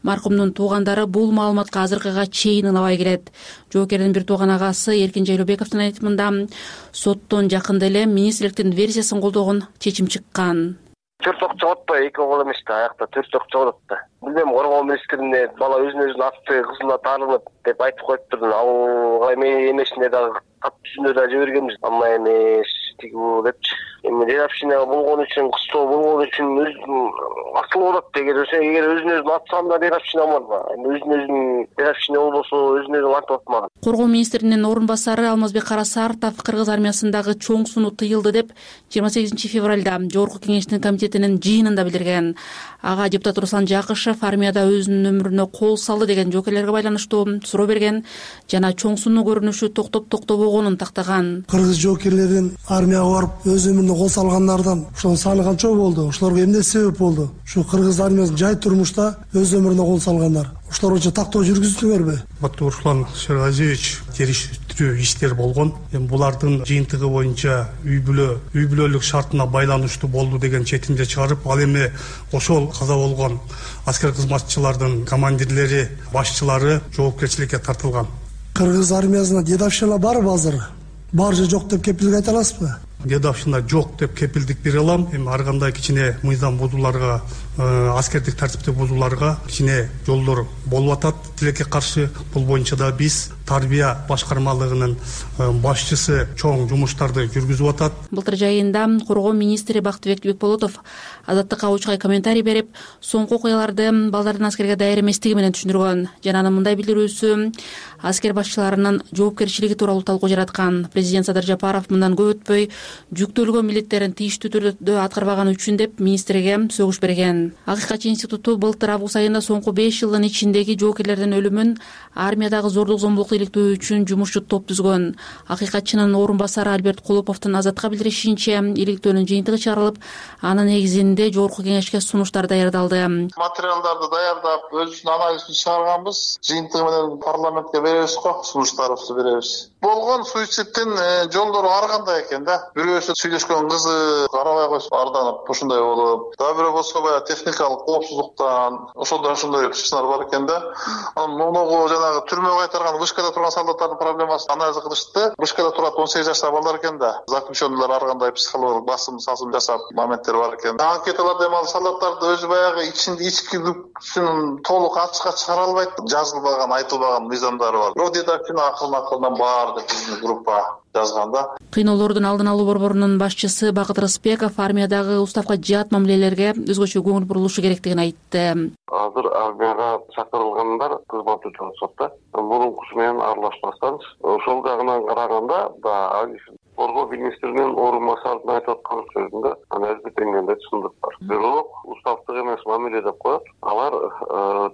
Маркумдун туугандары бул маалыматка азыркыга чейин ынабай келет. Жоокердин бир тууган агасы Эркин Жайлообековдун айтымында соттон жакында эле министрликтин версиясын колдогон чечим чыккан. Төрт ок чыгат да, эки ок эмес да, аякта төрт ок чыгат да. Билбейм, коргоо министрине бала өзүн өзүн атты, кызына таарынып деп айтып коюптур. Ал эми эмесине дагы кат түзүнө да жибергенбиз. Ама эмес тиги бул депчи. Эми дедовщина болгон үчүн, кыстоо болгон үчүн акыл болот деген. Эгер өзүн өзүн атсам да дедовщина болмак. Эми өзүн өзүн дедовщина болбосо өзүн өзүн антып атмак. Коргоо министринин орун басары Алмазбек Карасартов кыргыз армиясындагы чоң сунуу тыйылды деп жыйырма сегизинчи февралда Жогорку кеңештин комитетинин жыйынында билдирген. Ага депутат Руслан Жакышев армияда өзүнүн өмүрүнө кол салды деген жоокерлерге байланыштуу суроо берген жана чоң сунуу көрүнүшү токтоп токтобогонун тактаган. Кыргыз жоокерлерин армияга барып өз өмүрүнө кол салгандардан ошонун саны канча болду? Ошолорго эмне себеп болду? Ушу кыргыз армиясынын жай турмушта өз өмүрүнө кол салгандар. Ошолор үчүн тактоо жүргүздүңөрбү? Батыр Руслан Шерғазиевич териштирүү иштер болгон. Эми булардын жыйынтыгы боюнча үй бүлө, үй бүлөлүк шартына байланыштуу болду деген четимди чыгарып, ал эми ошол каза болгон аскер кызматчылардын командирлери, башчылары жоопкерчиликке тартылган. Кыргыз армиясына дедовщина барбы азыр? Бар же жок деп кепилдик айта аласызбы? Дедовщина жок деп кепилдик бере алам. Эми ар кандай кичине мыйзам бузууларга, аскердик тартипти бузууларга кичине жолдор болуп атат. Тилекке каршы бул боюнча да биз тарбия башкармалыгынын башчысы чоң жумуштарды жүргүзүп атат. Былтыр жайында коргоо министри Бактыбек Бекболотов Азаттыкка учкай комментарий берип, соңку окуяларды балдардын аскерге даяр эместиги менен түшүндүргөн. Жана анын мындай билдирүүсү аскер башчыларынын жоопкерчилиги тууралуу талкуу жараткан. Президент Садыр Жапаров мындан көп өтпөй жүктөлгөн милдеттерин тийиштүү түрдө аткарбаганы үчүн деп министрге сөгүш берген. Акыйкатчы институту былтыр август айында соңку беш жылдын ичиндеги жоокерлердин өлүмүн армиядагы зордук зомбулукту иликтөө үчүн жумушчу топ түзгөн. Акыйкатчынын орун басары Альберт Кулуповдун Азатка билдиришинче, иликтөөнүн жыйынтыгы чыгарылып, анын негизинде Жогорку кеңешке сунуштар даярдалды. Материалдарды даярдап, өзүбүздүн анализибизди чыгарганбыз. Жыйынтыгы менен парламентке беребиз го, сунуштарыбызды беребиз. Болгон суицидтин жолдору ар кандай экен да. Бирөөсү сүйлөшкөн кызы карабай койсо арданып ушундай болуп, дагы бирөө болсо баягы техникалык коопсуздуктан ошондой ошондой чычалар бар экен да. Анан моногу жанагы түрмөгө кайтарган вышкада турган солдаттардын проблемасын анализ кылышты. Вышкада турат он сегиз жаштагы балдар экен да. Заключенныйлар ар кандай психологиялык басым сасым жасап моменттер бар экен. Анкеталарда эми ал солдаттарды өзү баягы ичинде ичкилүксүн толук ачыкка чыгара албайт. Жазылбаган, айтылбаган мыйзамдары бар. Бирок дедовщина акылына акылдан бар деп биздин группа жазганда. Кыйноолордун алдын алуу борборунун башчысы Бакыт Рыспеков армиядагы уставка жаат мамилелерге өзгөчө көңүл бурулушу керектигин айтты. Азыр армияга чакырылгандар кызмат өтүп атышат да. Мурункусу менен аралашпастан ошол жагынан караганда да коргоо министринин орун басарынын айтып аткан сөзүндө азыр теңдегенде түшүндүк бар. Бирок уставдык эмес мамиле деп коет. Алар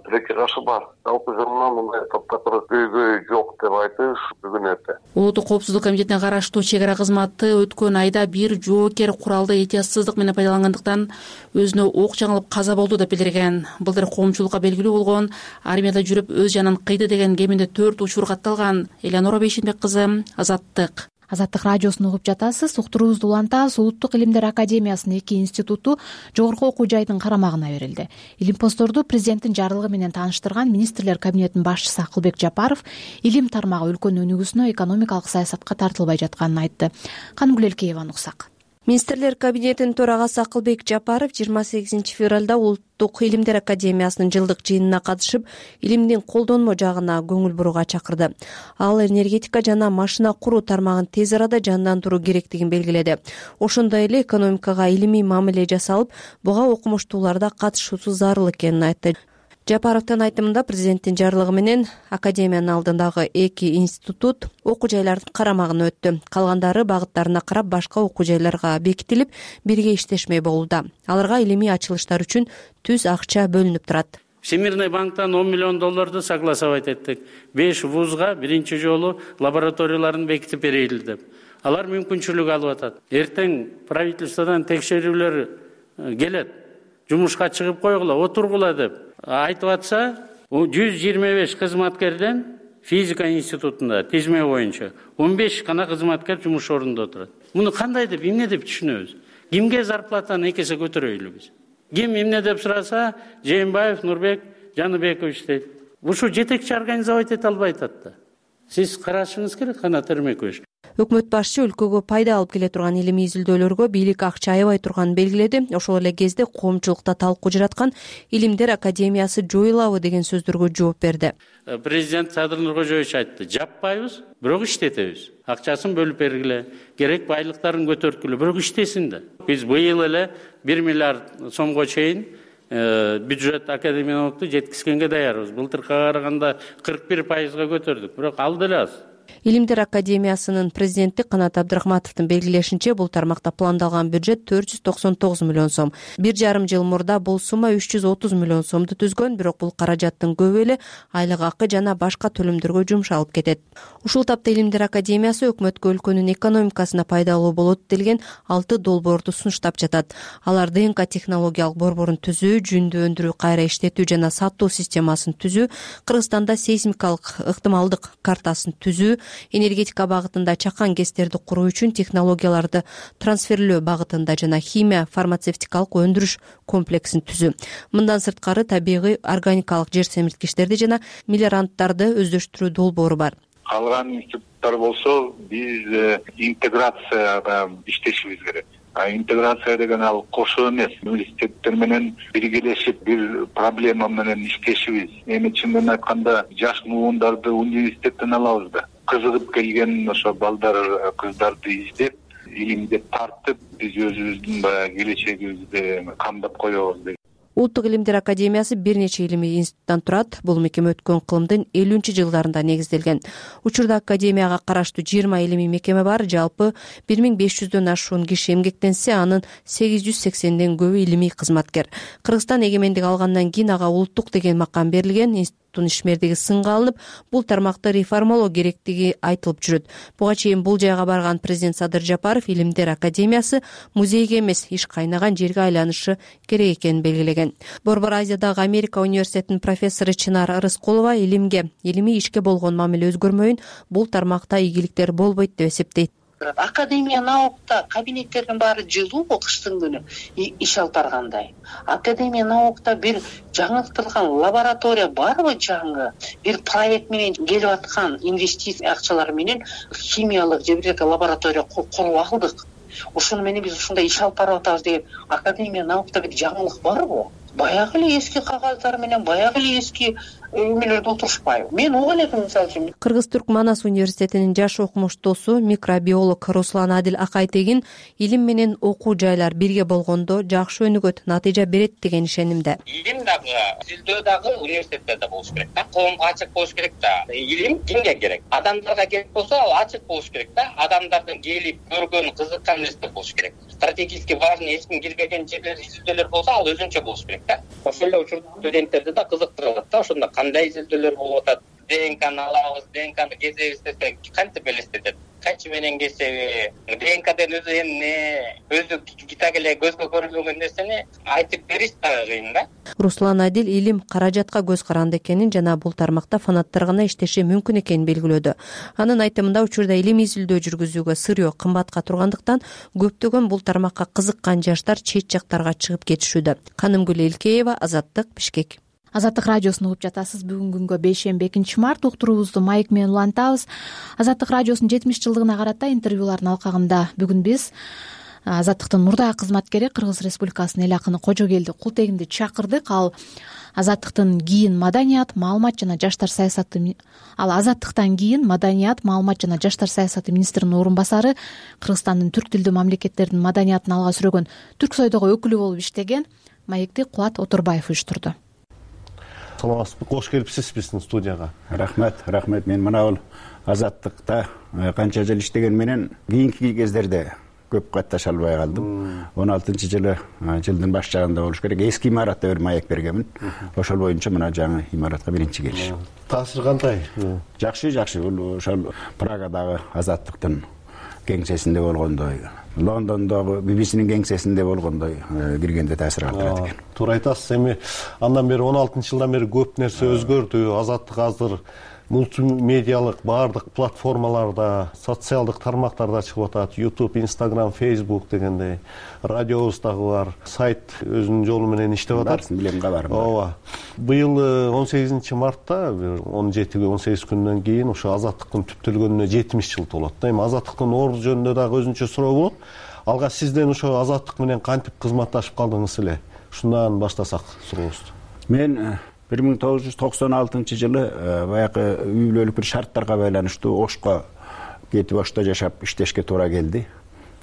тилекке каршы бар. Жалпы жылынан мындай топтотор көйгөй жок деп айтыш бүгүн эрте. Улуттук коопсуздук комитетине караштуу чек ара кызматы өткөн айда бир жоокер куралды этиятсыздык менен пайдалангандыктан өзүнө ок жаңылып каза болду деп билдирген. Былтыр коомчулукка белгилүү болгон армияда жүрүп өз жанын кыйды деген кеминде төрт учур катталган. Элеонора Бейшенбек кызы, Азаттык. Азаттык радиосун угуп жатасыз. Уктуруубузду улантабыз. Улуттук илимдер академиясынын эки институту жогорку окуу жайдын карамагына берилди. Илимпоздорду президенттин жарлыгы менен тааныштырган министрлер кабинетинин башчысы Акылбек Жапаров илим тармагы өлкөнүн өнүгүүсүнө экономикалык саясатка тартылбай жатканын айтты. Канымгүл Элкееваны уксак. Министрлер кабинетинин төрагасы Акылбек Жапаров жыйырма сегизинчи февралда Улуттук илимдер академиясынын жылдык жыйынына катышып, илимдин колдонмо жагына көңүл бурууга чакырды. Ал энергетика жана машина куруу тармагын тез арада жандандыруу керектигин белгиледи. Ошондой эле экономикага илимий мамиле жасалып, буга окумуштууларда катышуусу зарыл экенин айтты. Жапаровдун айтымында президенттин жарлыгы менен академиянын алдындагы эки институт окуу жайлардын карамагына өттү. Калгандары багыттарына карап башка окуу жайларга бекитилип, бирге иштешмей болууда. Аларга илимий ачылыштар үчүн түз акча бөлүнүп турат. Всемирный банктан он миллион долларды согласовать эттик. беш вузга биринчи жолу лабораторияларын бекитип берели деп. Алар мүмкүнчүлүк алып атат. Эртең правительстводон текшерүүлөр келет. Жумушка чыгып койгула, отургула деп айтып атса, жүз жыйырма беш кызматкерден физика институтунда тизме боюнча он беш гана кызматкер жумуш ордунда отурат. Муну кандай деп, эмне деп түшүнөбүз? Кимге зарплатаны эки эсе көтөрөйлү биз? Ким эмне деп сураса, Жээнбаев Нурбек Жаныбекович дейт. Ушу жетекчи организовать эте албай атат да. Сиз карашыңыз керек, Канат Эрмекович. Өкмөт башчы өлкөгө пайда алып келе турган илимий изилдөөлөргө бийлик акча аябай турганын белгиледи. Ошол эле кезде коомчулукта талкуу жараткан илимдер академиясы жоюлабы деген сөздөргө жооп берди. Президент Садыр Нуркожоевич айтты: жаппайбыз, бирок иштетебиз. Акчасын бөлүп бергиле, керек байлыктарын көтөрткүлө, бирок иштесин да. Биз быйыл эле бир миллиард сомго чейин бюджет академиялыкту жеткизгенге даярбыз. Былтыркыга караганда кырк бир пайызга көтөрдүк, бирок ал деле аз. Илимдер академиясынын президенти Канат Абдрахматовдун белгилешинче, бул тармакта пландалган бюджет төрт жүз токсон тогуз миллион сом. Бир жарым жыл мурда бул сумма үч жүз отуз миллион сомду түзгөн, бирок бул каражаттын көбү эле айлык акы жана башка төлөмдөргө жумшалып кетет. Ушул тапта Илимдер академиясы өкмөткө өлкөнүн экономикасына пайдалуу болот делген алты долбоорду сунуштап жатат. Алар ДНК технологиялык борборун түзүү, жүндү өндүрүү, кайра иштетүү жана сатуу системасын түзүү, Кыргызстанда сейсмикалык ыктымалдык картасын түзүү, энергетика багытында чакан гэстерди куруу үчүн технологияларды трансферлөө багытында жана химия фармацевтикалык өндүрүш комплексин түзүү. Мындан сырткары табигый органикалык жер семирткичтерди жана мелиоранттарды өздөштүрүү долбоору бар. Калган институттар болсо биз интеграцияда иштешибиз керек. Интеграция деген ал кошо эмес, университеттер менен биргелешип бир проблема менен иштешибиз. Эми чындын айтканда жаш муундарды университеттен алабыз да. Кызыгып келген ошо балдар, кыздарды издеп, илимге тартып, биз өзүбүздүн баягы келечегибизди камдап коебуз дейт. Улуттук илимдер академиясы бир нече илимий институттан турат. Бул мекеме өткөн кылымдын элүүнчү жылдарында негизделген. Учурда академияга караштуу жыйырма илимий мекеме бар. Жалпы бир миң беш жүздөн ашуун киши эмгектенсе, анын сегиз жүз сексенден көбү илимий кызматкер. Кыргызстан эгемендик алгандан кийин ага улуттук деген макам берилген. Институттун ишмердиги сынга алынып, бул тармакты реформалоо керектиги айтылып жүрөт. Буга чейин бул жайга барган президент Садыр Жапаров Илимдер академиясы музейге эмес, иш кайнаган жерге айланышы керек экенин белгилеген. Борбор Азиядагы Америка университетинин профессору Чынар Рыскулова илимге, илимий ишке болгон мамиле өзгөрмөйүн, бул тармакта ийгиликтер болбойт деп эсептейт. Академия наукта кабинеттердин баары жылуу кыштын күнү иш алып баргандай. Академия наукта бир жаңылтылган лаборатория барбы жаңы? Бир проект менен келип аткан инвестиция акчалары менен химиялык же бир лаборатория куруп алдык. Ошону менен биз ушундай иш алып барып атабыз деген Академия наукта бир жаңылык барбы? баягы эле эски кагаздар менен баягы эле эски эмелерде отурушпайбы? Мен угуп элем мисалы үчүн. Кыргыз-Түрк Манас университетинин жаш окумуштуусу микробиолог Руслан Адил Акайтегин илим менен окуу жайлар бирге болгондо жакшы өнүгөт, натыйжа берет деген ишенимде. Илим дагы, изилдөө дагы университетте да болуш керек да, коомго ачык болуш керек да. Илим кимге керек? Адамдарга керек болсо, ал ачык болуш керек да. Адамдардын келип көргөн, кызыккан нерсе болуш керек. Стратегически важный, эч ким кирбеген жерлер, изилдөөлөр болсо, ал өзүнчө болуш керек да. Ошол эле учурда студенттерди да кызыктырат да, ошондо кандай изилдөөлөр болуп атат, ДНКны алабыз, ДНКны кезебиз десе кантип элестетет? Качы менен кесеби, ДНКден өзү эмне, өзү китак эле көзгө көрүнбөгөн нерсени айтып бериш да кыйын да. Руслан Адил илим каражатка көз каранды экенин жана бул тармакта фанаттар гана иштеши мүмкүн экенин белгилөөдө. Анын айтымында учурда илим изилдөө жүргүзүүгө сырьё кымбатка тургандыктан көптөгөн бул тармакка кызыккан жаштар чет жактарга чыгып кетишүүдө. Канымгүл Элкеева, Азаттык, Бишкек. Азаттык радиосун угуп жатасыз. Бүгүнкү күнгө бейшемби экинчи март уктуруубузду майк менен улантабыз. Азаттык радиосунун жетимиш жылдыгына карата интервьюлардын алкагында бүгүн биз Азаттыктын мурдагы кызматкери Кыргыз Республикасынын эл акыны Кожогелди Култегинди чакырдык. Ал Азаттыктын кийин маданият, маалымат жана жаштар саясаты ал Азаттыктан кийин маданият, маалымат жана жаштар саясаты министринин орун басары, Кыргызстандын түрк тилдүү мамлекеттердин маданиятын алга сүрөгөн Түрксойдогу өкүлү болуп иштеген. Маекти Кубат Оторбаев уюштурду. Саламатсызбы, кош келипсиз биздин студияга. Рахмет, рахмет. Мен мына бул Азаттыкта канча жыл иштеген менен кийинки кездерде көп катташа албай калдым. он алтынчы жылы жылдын баш жагында болуш керек. Эски имаратта бир маек бергенмин. Ошол боюнча мына жаңы имаратка биринчи келиш. Таасир кандай? Жакшы, жакшы. Бул ошол Прагадагы Азаттыктын кеңсесинде болгондой, Лондондогу би би синин кеңсесинде болгондой киргенде таасир калтырат экен. Туура айтасыз. Эми андан бери он алтынчы жылдан бери көп нерсе өзгөрдү. Азаттык азыр мультимедиалык баардык платформаларда, социалдык тармактарда чыгып атат. YouTube, Instagram, Facebook дегендей. Радиобуз дагы бар. Сайт өзүнүн жолу менен иштеп атат. Барсын билем, кабарым. Ооба. Быйыл он сегизинчи мартта, он жети он сегиз күндөн кийин ошо Азаттыктын түптөлгөнүнө жетимиш жыл толот. Эми Азаттыктын орду жөнүндө дагы өзүнчө суроо болот. Алга сизден ошо Азаттык менен кантип кызматташып калдыңыз эле? Ушундан баштасак сурообузду. Мен бир миң тогуз жүз токсон алтынчы жылы баягы үй бүлөлүк бир шарттарга байланыштуу Ошко кетип Ошто жашап иштешке туура келди.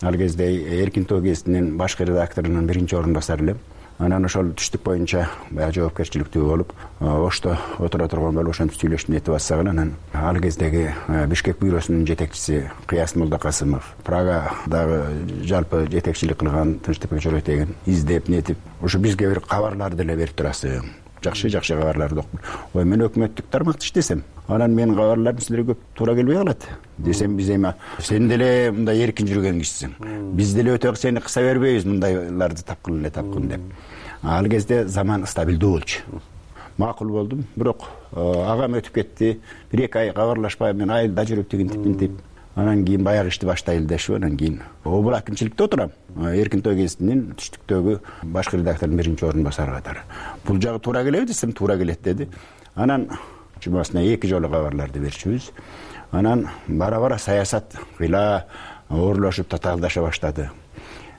Ал кезде Эркин Тоо гезитинин башкы редакторунун биринчи орун басары элем. Анан ошол түштүк боюнча баягы жоопкерчиликтүү болуп, Ошто отура турган болуп, ошентип сүйлөшүп нетип атсак анан ал кездеги Бишкек бюросунун жетекчиси Кыяс Молдокасымов, Прагадагы жалпы жетекчилик кылган Тынчтыкбек Жоротегин издеп нетип, ошо бизге бир кабарларды деле берип турасыз. Жакшы жакшы кабарларды окуп. Ой, мен өкмөттүк тармакта иштесем, анан менин кабарларым силерге туура келбей калат. Десем биз эми сен деле мындай эркин жүргөн кишисиң. Биз деле өтө сени кыса бербейбиз мындайларды тапкыл эле тапкын деп. Ал кезде заман стабилдүү болчу. Макул болдум, бирок агам өтүп кетти. бир эки ай кабарлашпай мен айылда жүрүп тигинтип мынтип. Анан кийин баягы ишти баштайлы дешип, анан кийин обул акимчиликте отурам. Эркин Тоо гезитинин түштүктөгү башкы редактордун биринчи орун басары катары. Бул жагы туура келеби десем, туура келет деди. Анан жумасына эки жолу кабарларды берчүбүз. Анан бара-бара саясат кыйла оорлошуп татаалдаша баштады.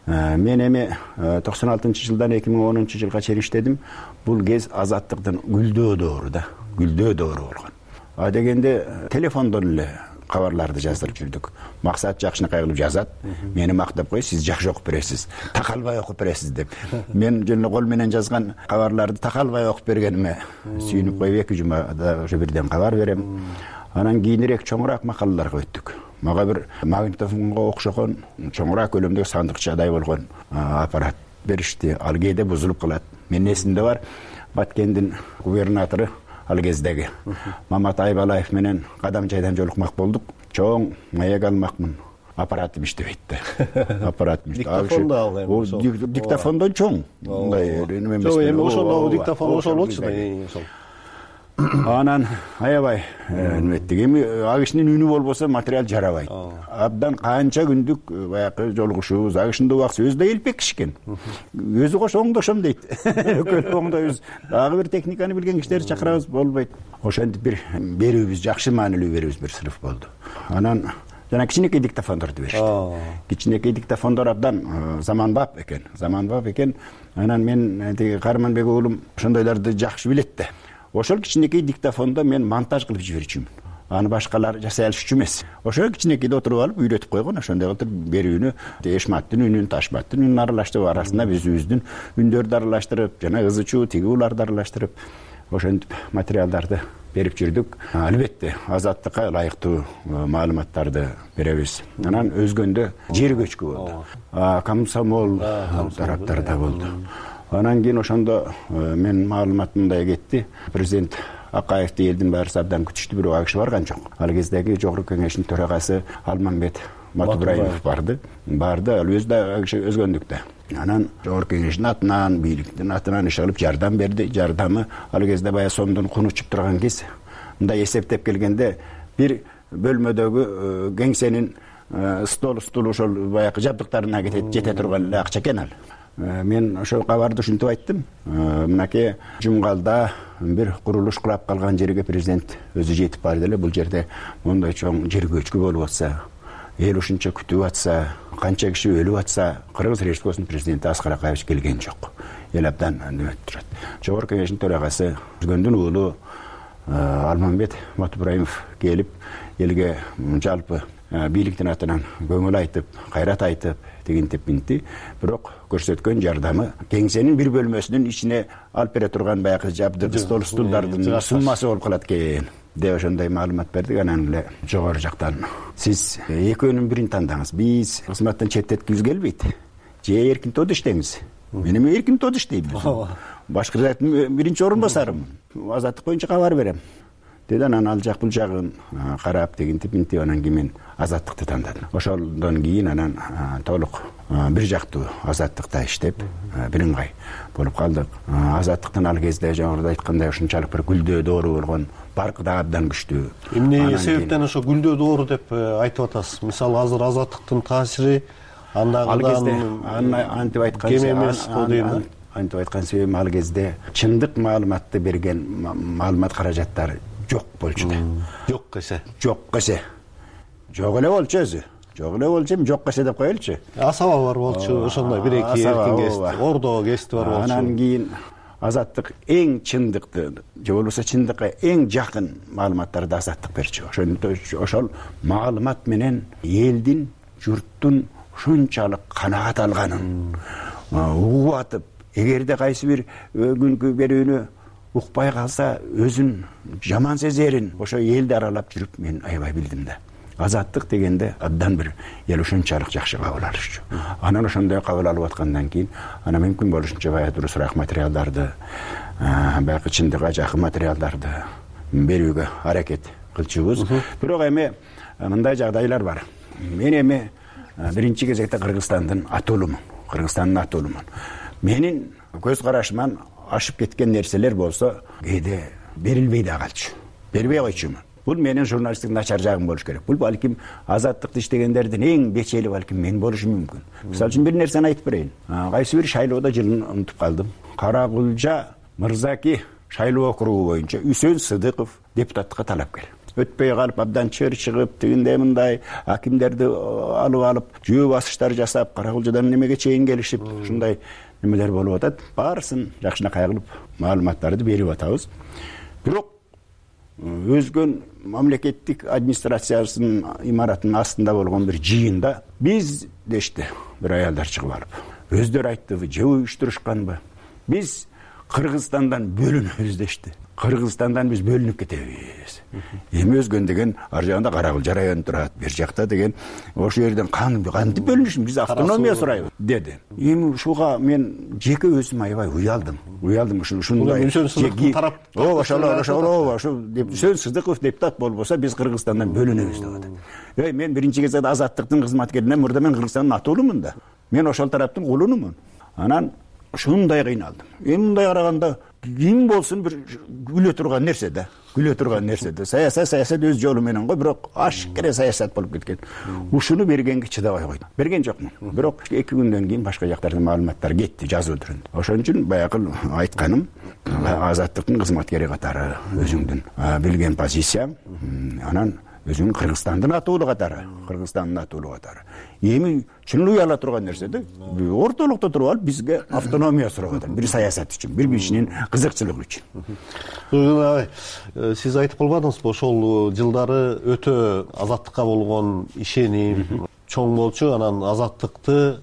Мен эми токсон алтынчы жылдан эки миң онунчу жылга чейин иштедим. Бул кез Азаттыктын гүлдөө доору да, гүлдөө доору болгон. А дегенде телефондон эле кабарларды жаздырып жүрдүк. Максат жакшынакай кылып жазат. Мени мактап кой, сиз жакшы окуп бересиз. Такалбай окуп бересиз деп. Мен жөн кол менен жазган кабарларды такалбай окуп бергениме сүйүнүп коюп эки жумада ошо бирден кабар берем. Анан кийинирээк чоңураак макалаларга өттүк. Мага бир магнитофонго окшогон чоңураак көлөмдөгү сандыкчадай болгон аппарат беришти. Ал кээде бузулуп калат. Менин эсимде бар, Баткендин губернатору ал кездеги Мамат Айбалаев менен кадам жайдан жолукмак болдук. Чоң маек алмакмын. Аппаратым иштебейт да. Аппаратым иштебейт. Диктофондо ал эми. Диктофондон чоң. Мындай эме эмес. Жок, эми ошондогу диктофон ошол болчу да. Анан аябай эметтик. Эми ал кишинин үнү болбосо материал жарабайт. Абдан канча күндүк баягы жолугушуубуз. Ал кишинин убакысы өзү да элпек киши экен. Өзү кош оңдошом дейт. Экөө оңдойбуз. Дагы бир техниканы билген кишилерди чакырабыз, болбойт. Ошентип бир берүүбүз, жакшы маанилүү берүүбүз бир сыныф болду. Анан жана кичинекей диктофондорду беришти. Кичинекей диктофондор абдан заманбап экен, заманбап экен. Анан мен тиги Карманбек уулум ошондойлорду жакшы билет да. Ошол кичинекей диктофондо мен монтаж кылып жиберчүмүн. Аны башкалар жасай алышчу эмес. Ошо кичинекейде отуруп алып үйрөтүп койгон, ошондой кылып берүүнү, Эшматтын үнүн, Ташматтын үнүн аралаштырып, арасында өзүбүздүн үндөрдү аралаштырып, жана ызычуу тиги ууларды аралаштырып, ошентип материалдарды берип жүрдүк. Албетте азаттыкка ылайыктуу маалыматтарды беребиз. Анан өзгөндө жер көчкү болду. Комсомол тараптарда болду. Анан кийин ошондо мен маалымат мындай кетти. Президент Акаевди элдин баары абдан күтүштү, бирок ал киши барган жок. Ал кездеги Жогорку Кеңештин төрагасы Алмамбет Матубраимов барды. Барды, ал өзү да ал киши өзгөндүктө. Анан Жогорку Кеңештин атынан, бийликтин атынан иш алып жардам берди. Жардамы ал кезде баягы сомдун куну учуп турган кез. Мындай эсептеп келгенде бир бөлмөдөгү кеңсенин стол стул ошол баягы жабдыктарына жете турган акча экен ал. Мен ошол кабарды ушинтип айттым. Мынакей Жумгалда бир курулуш курап калган жерге президент өзү жетип барды эле. Бул жерде мондай чоң жер көчкү болуп атса, эл ушунча күтүп атса, канча киши өлүп атса, Кыргыз Республикасынын президенти Аскар Акаевич келген жок. Эл абдан нөмөт турат. Жогорку Кеңештин төрагасы Өзгөндүн уулу Алмамбет Матубраимов келип, элге жалпы бийликтин атынан көңүл айтып, кайрат айтып, дегентип минти. Бирок көрсөткөн жардамы кеңсенин бир бөлмөсүнүн ичине алып бере турган баягы жабдык стол стулдардын суммасы болуп калат экен деп ошондой маалымат бердик. Анан эле жогору жактан сиз экөөнүн бирин тандаңыз. Биз кызматтан четтеткибиз келбейт. Же эркин тоодо иштеңиз. Мен эми эркин тоодо иштейм. Башкырдын биринчи орун басарым. Азаттык боюнча кабар берем. Деди. Анан ал жак бул жагын карап дегентип минтип анан кийин мен азаттыкты тандадым. Ошондон кийин анан толук бир жактуу азаттыкта иштеп, бирыңгай болуп калдык. Азаттыктын ал кезде жогоруда айткандай ушунчалык бир гүлдөө доору болгон, баркы да абдан күчтүү. Эмне себептен ошо гүлдөө доору деп айтып атасыз? Мисалы азыр азаттыктын таасири андагыдан антип айткан кем эмес го дейм. Антип айткан себебим ал кезде чындык маалыматты берген маалымат каражаттары жок болчу да. Жок эсе. Жок эсе. Жок эле болчу өзү. Жок эле болчу, эми жок эсе деп коелучу. Асаба бар болчу, ошондой бир-эки эркин кести, ордо кести бар болчу. Анан кийин азаттык эң чындыкты, же болбосо чындыкка эң жакын маалыматтарды азаттык берчү. Ошондо ошол маалымат менен элдин, журттун ушунчалык канаат алганын угуп атып, эгерде кайсы бир күнкү берүүнү укпай калса өзүн жаман сезерин ошо элди аралап жүрүп мен аябай билдим да. Азаттык дегенде абдан бир эл ушунчалык жакшы кабыл алышчу. Анан ошондой кабыл алып аткандан кийин ана мүмкүн болушунча баягы дурусураак материалдарды, баягы чындыкка жакын материалдарды берүүгө аракет кылчубуз. Бирок эми мындай жагдайлар бар. Мен эми биринчи кезекте Кыргызстандын атуулумун. Кыргызстандын атуулумун. Менин көз карашыман ашып кеткен нерселер болсо кээде берилбей да калчу. Бербей койчумун. Бул менин журналисттик начар жагым болуш керек. Бул балким азаттыкты иштегендердин эң бечели балким мен болушум мүмкүн. Мисалы үчүн бир нерсени айтып берейин. Кайсы бир шайлоодо жылын унутуп калдым. Каракулжа Мырзаки шайлоо округу боюнча Үсөн Сыдыков депутаттыкка талапкер. Өтпөй калып абдан чыр чыгып, тигиндей мындай акимдерди алып алып, жөө басыштар жасап, Каракулжадан немеге чейин келишип, ушундай немелер болуп атат. Баарысын жакшынакай кылып маалыматтарды берип атабыз. Бирок өзгөн мамлекеттик администрациясынын имаратынын астында болгон бир жыйында биз дешти бир аялдар чыгып алып. Өздөрү айттыбы, же уюштурушканбы? Биз Кыргызстандан бөлүнөбүз дешти. Кыргызстандан биз бөлүнүп кетебиз. Эми өзгөн деген ар жагында Каракулжа району турат, бир жакта деген ошол жерден кантип бөлүнүшүн, биз автономия сурайбыз деди. Эми ушуга мен жеке өзүм аябай уялдым. Уялдым ушундай. Ооба, ошол ошол ооба, ошо Үсөн Сыдыков депутат болбосо биз Кыргызстандан бөлүнөбүз деп атат. Эй, мен биринчи кезекте азаттыктын кызматкеринен мурда мен Кыргызстандын атуулумун да. Мен ошол тараптын кулунумун. Анан ушундай кыйналдым. Эми мындай караганда ким болсун бир күлө турган нерсе да. Күлө турган нерсе да. Саясат саясат өз жолу менен го, бирок ашкере саясат болуп кеткен. Ушуну бергенге чыдабай койдум. Берген жокмун. Бирок эки күндөн кийин башка жактардан маалыматтар кетти жазуу түрүндө. Ошон үчүн баягы айтканым, азаттыктын кызматкери катары өзүңдүн билген позицияң. Анан өзүнүн Кыргызстандын атуулуу катары, Кыргызстандын атуулуу катары. Эми чын эле уяла турган нерсе да. Ортолукта туруп алып бизге автономия сурап атат. Бир саясат үчүн, бир кишинин кызыкчылыгы үчүн. Сиз айтып калбадыңызбы, ошол жылдары өтө азаттыкка болгон ишеним чоң болчу, анан азаттыкты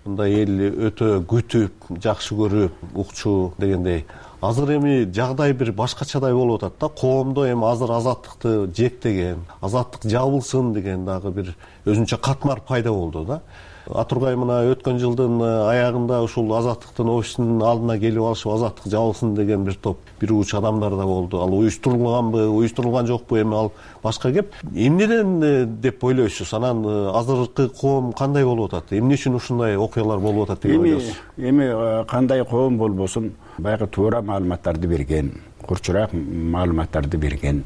мындай эл өтө күтүп, жакшы көрүп, укчу дегендей. Азыр эми жагдай бир башкачадай болуп атат да. Коомдо эми азыр азаттыкты жектеген, азаттык жабылсын деген дагы бир өзүнчө катмар пайда болду да. Атургай мына өткөн жылдын аягында ушул азаттыктын офисинин алдына келип алышып, азаттык жабылсын деген бир топ бир уч адамдар да болду. Ал уюштурулганбы, уюштурулган жокпу, эми ал башка кеп. Эмнеден деп ойлойсуз? Анан азыркы коом кандай болуп атат? Эмне үчүн ушундай окуялар болуп атат деп ойлойсуз? Эми кандай коом болбосун, баягы туура маалыматтарды берген, курчураак маалыматтарды берген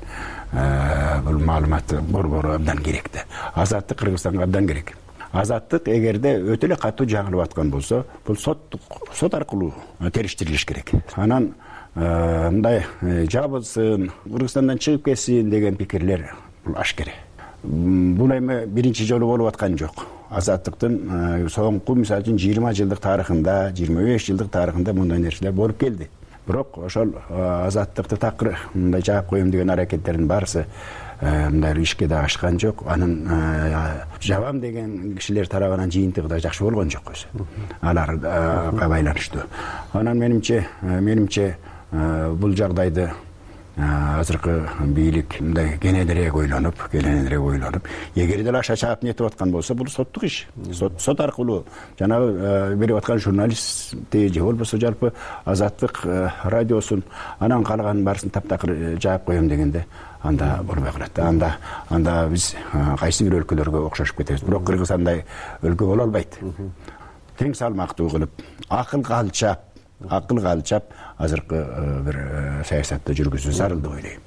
бул маалымат борбору абдан керек да. Азаттык Кыргызстанга абдан керек. Азаттык эгерде өтө эле катуу жаңылып аткан болсо, бул сот сот аркылуу териштирилиш керек. Анан мындай жабылсын, Кыргызстандан чыгып кетсин деген пикирлер бул ашкере. Бул эми биринчи жолу болуп аткан жок. Азаттыктын соңку мисалы үчүн жыйырма жылдык тарыхында, жыйырма беш жылдык тарыхында мындай нерселер болуп келди. Бирок ошол азаттыкты такыр мындай жаап коем деген аракеттердин барысы мындай ишке да ашкан жок. Анын жабам деген кишилер тарабынан жыйынтыгы да жакшы болгон жок өзү. Аларга байланыштуу. Анан менимче, менимче бул жагдайды азыркы бийлик мындай кененирээк ойлонуп, кененирээк ойлонуп, эгер деле аша чаап нетип аткан болсо, бул соттук иш. Сот сот аркылуу жанагы берип аткан журналистти же болбосо жалпы азаттык радиосун анан калганын баарысын таптакыр жаап коем дегенде анда болбой калат. Анда анда биз кайсы бир өлкөлөргө окшошуп кетебиз. Бирок Кыргыз андай өлкө боло албайт. Тең салмактуу кылып, акылга алчап, акылга алчап азыркы бир саясатты жүргүзүү зарыл деп ойлойм.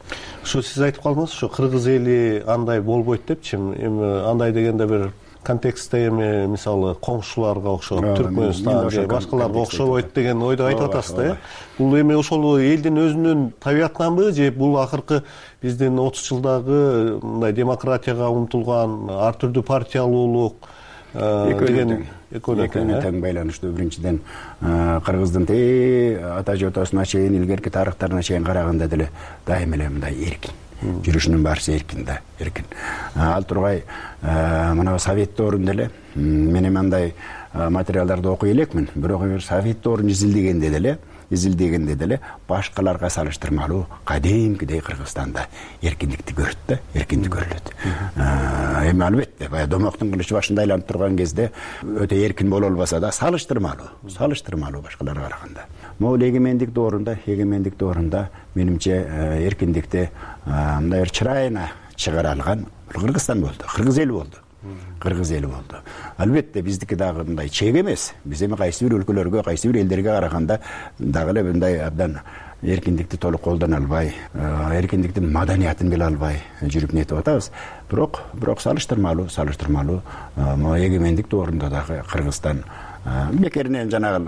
Ушу сиз айтып калдыңыз, ушу кыргыз эли андай болбойт депчи. Эми андай дегенде бир контекстте эми мисалы коңшуларга окшоп, Түркмөнстан же башкаларга окшобойт деген ойду айтып атасыз да. Бул эми ошол элдин өзүнүн табиятынанбы же бул акыркы биздин отуз жылдагы мындай демократияга умтулган ар түрдүү партиялуулук деген экөөнө тең байланыштуу. Биринчиден кыргыздын те ата жотосуна чейин, илгерки тарыхтарына чейин караганда деле дайым эле мындай эркин. Жүрүшүнүн баарысы эркин да, эркин. Ал тургай мына совет доорунда эле мен мындай материалдарды окуй элекмин. Бирок эгер совет доорун изилдегенде деле, изилдегенде деле башкаларга салыштырмалуу кадимкидей Кыргызстанда эркиндикти көрөт да, эркиндик көрүлөт. Эми албетте баягы домоктун кылычы башында айланып турган кезде өтө эркин боло албаса да салыштырмалуу, салыштырмалуу башкаларга караганда. Могул эгемендик доорунда, эгемендик доорунда менимче эркиндикти мындай бир чырайына чыгара алган Кыргызстан болду, кыргыз эли болду. Кыргыз эли болду. Албетте биздики дагы мындай чек эмес. Биз эми кайсы бир өлкөлөргө, кайсы бир элдерге караганда дагы эле мындай абдан эркиндикти толук колдоно албай, эркиндиктин маданиятын биле албай жүрүп нетип атабыз. Бирок, бирок салыштырмалуу, салыштырмалуу могу эгемендик доорунда дагы Кыргызстан бекеринен жанагы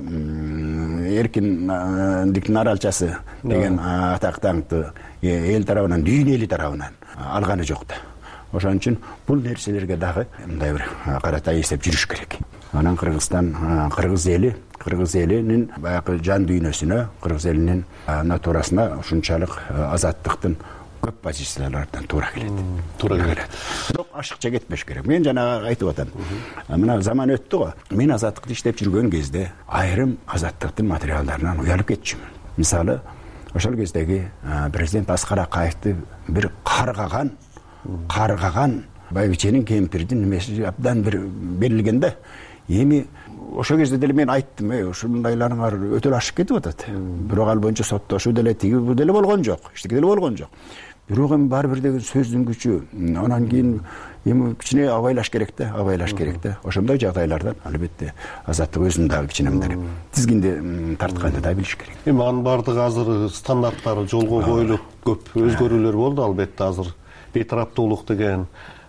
эркиндиктин аралчасы деген атак даңкты эл тарабынан, дүйнө эли тарабынан алганы жок да. Ошон үчүн бул нерселерге дагы мындай бир карата эсеп жүрүш керек. Анан Кыргызстан, кыргыз эли, кыргыз элинин баягы жан дүйнөсүнө, кыргыз элинин натурасына ушунчалык азаттыктын көп позициялардан туура келет. Туура келет. Бирок ашыкча кетпеш керек. Мен жана айтып атам. Мына заман өттү го. Мен азаттыкты иштеп жүргөн кезде айрым азаттыктын материалдарынан уялып кетчүмүн. Мисалы, ошол кездеги президент Аскар Акаевди бир каргаган каргаган байбиченин кемпирдин немеси абдан бир берилген да. Эми ошол кезде деле мен айттым, э, ушундайларыңар өтө ашып кетип атат. Бирок ал боюнча соттошуу деле тиги бу деле болгон жок, эчтеке деле болгон жок. Бирок эми баары бир деген сөздүн күчү. Анан кийин эми кичине абайлаш керек да, абайлаш керек да. Ошондой жагдайлардан албетте азаттык өзүн дагы кичине мындай тизгинди тартканды да билиш керек. Эми анын баардыгы азыр стандарттары жолго коюлуп, көп өзгөрүүлөр болду албетте. Азыр бейтараптуулук деген,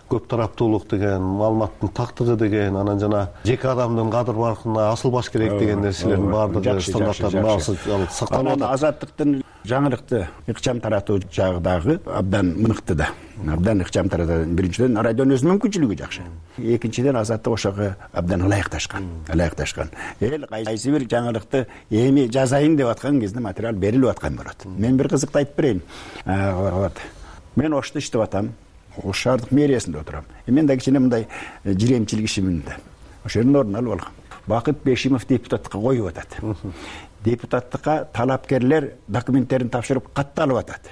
көп тараптуулук деген, маалыматтын тактыгы деген, анан жана жеке адамдын кадыр баркына асылбаш керек деген нерселердин баардыгы стандарттардын баасы сакталып атат. Азаттыктын жаңылыкты ыкчам таратуу жагы дагы абдан мыкты да. Абдан ыкчам таратат. Биринчиден радионун өзүнүн мүмкүнчүлүгү жакшы. Экинчиден азаттык ошого абдан ылайыкташкан. Ылайыкташкан. Эл кайсы бир жаңылыкты эми жазайын деп аткан кезде материал берилип аткан болот. Мен бир кызыкты айтып берейин. Мен Ошто иштеп атам. Ош шаардык мэриясында отурам. Мен да кичине мындай жиремчилик ишимин да. Ошол жерден орун алып алгам. Бакыт Бешимов депутаттыкка коюп атат. Депутаттыкка талапкерлер документтерин тапшырып катталып атат.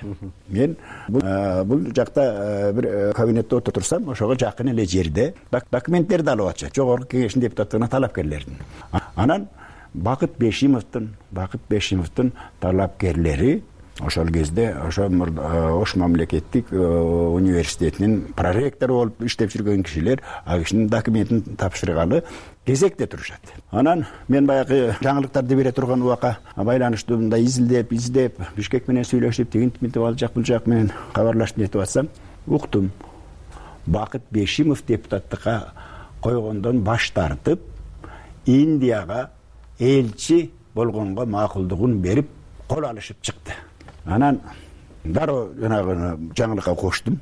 Мен бул жакта бир кабинетте отурсам, ошого жакын эле жерде документтерди алып атышат. Жогорку кеңештин депутаттыгына талапкерлердин. Анан Бакыт Бешимовдун, Бакыт Бешимовдун талапкерлери ошол кезде ошо Ош мамлекеттик университетинин проректору болуп иштеп жүргөн кишилер ал кишинин документин тапшыргалы кезекте турушат. Анан мен баягы жаңылыктарды бере турган убакка байланыштуу мындай изилдеп, издеп, Бишкек менен сүйлөшүп, тигинтип мынтип ал жак бул жак менен кабарлашып нетип атсам, уктум. Бакыт Бешимов депутаттыкка койгондон баш тартып, Индияга элчи болгонго макулдугун берип, кол алышып чыкты. Анан дароо жанагы жаңылыкка коштум.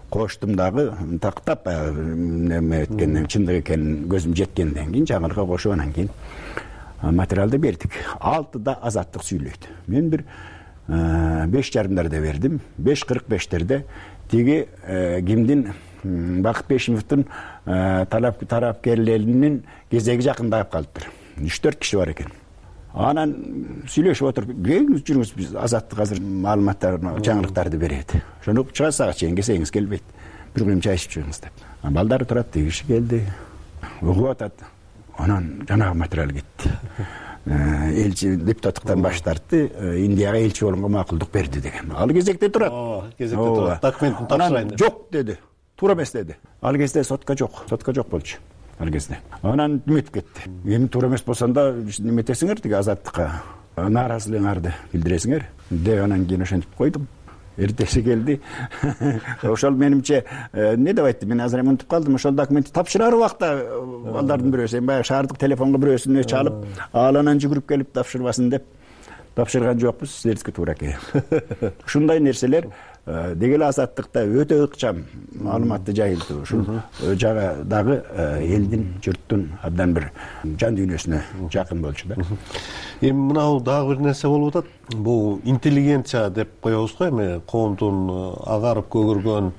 Коштум дагы тактап неме эткенден чындык экенин көзүм жеткенден кийин жаңылыкка кошуп анан кийин материалды бердик. Алтыда азаттык сүйлөйт. Мен бир беш жарымдарда бердим. беш кырк бештерде тиги кимдин Бакыт Бешимовдун талапкерлеринин кезеги жакындап калыптыр. үч төрт киши бар экен. Анан сүйлөшүп отуруп, келиңиз жүрүңүз, биз азаттык азыр маалыматтарды, жаңылыктарды берет. Ошону чыга саат чейин келсеңиз келбейт. Бир күйүм чай ичип чыгыңыз деп. Балдары турат, тиги киши келди. Угуп атат. Анан жанагы материал кетти. Элчи депутаттыктан баш тартты, Индияга элчи болгонго макулдук берди деген. Ал кезекте турат. Кезекте турат. Документин тапшырайын деп. Жок деди. Туура эмес деди. Ал кезде сотка жок, сотка жок болчу. Ал кезде. Анан үмүт кетти. Эми туура эмес болсоң да неметесиңер тиги азаттыкка нааразылыгыңарды билдиресиңер деп анан кийин ошентип койдум. Эртеси келди. Ошол менимче эмне деп айтты? Мен азыр эми унутуп калдым. Ошол документти тапшырар убакта балдардын бирөөсү, эми баягы шаардык телефонго бирөөсүнө чалып, ал анан жүгүрүп келип тапшырбасын деп тапшырган жокпуз, силердики туура экен. Ушундай нерселер деги эле азаттыкта өтө ыкчам маалыматты жайылтуу. Ушул жагы дагы элдин, журттун абдан бир жан дүйнөсүнө жакын болчу да. Эми мынау дагы бир нерсе болуп атат. Бул интеллигенция деп коебуз го, эми коомдун агарып көгөргөн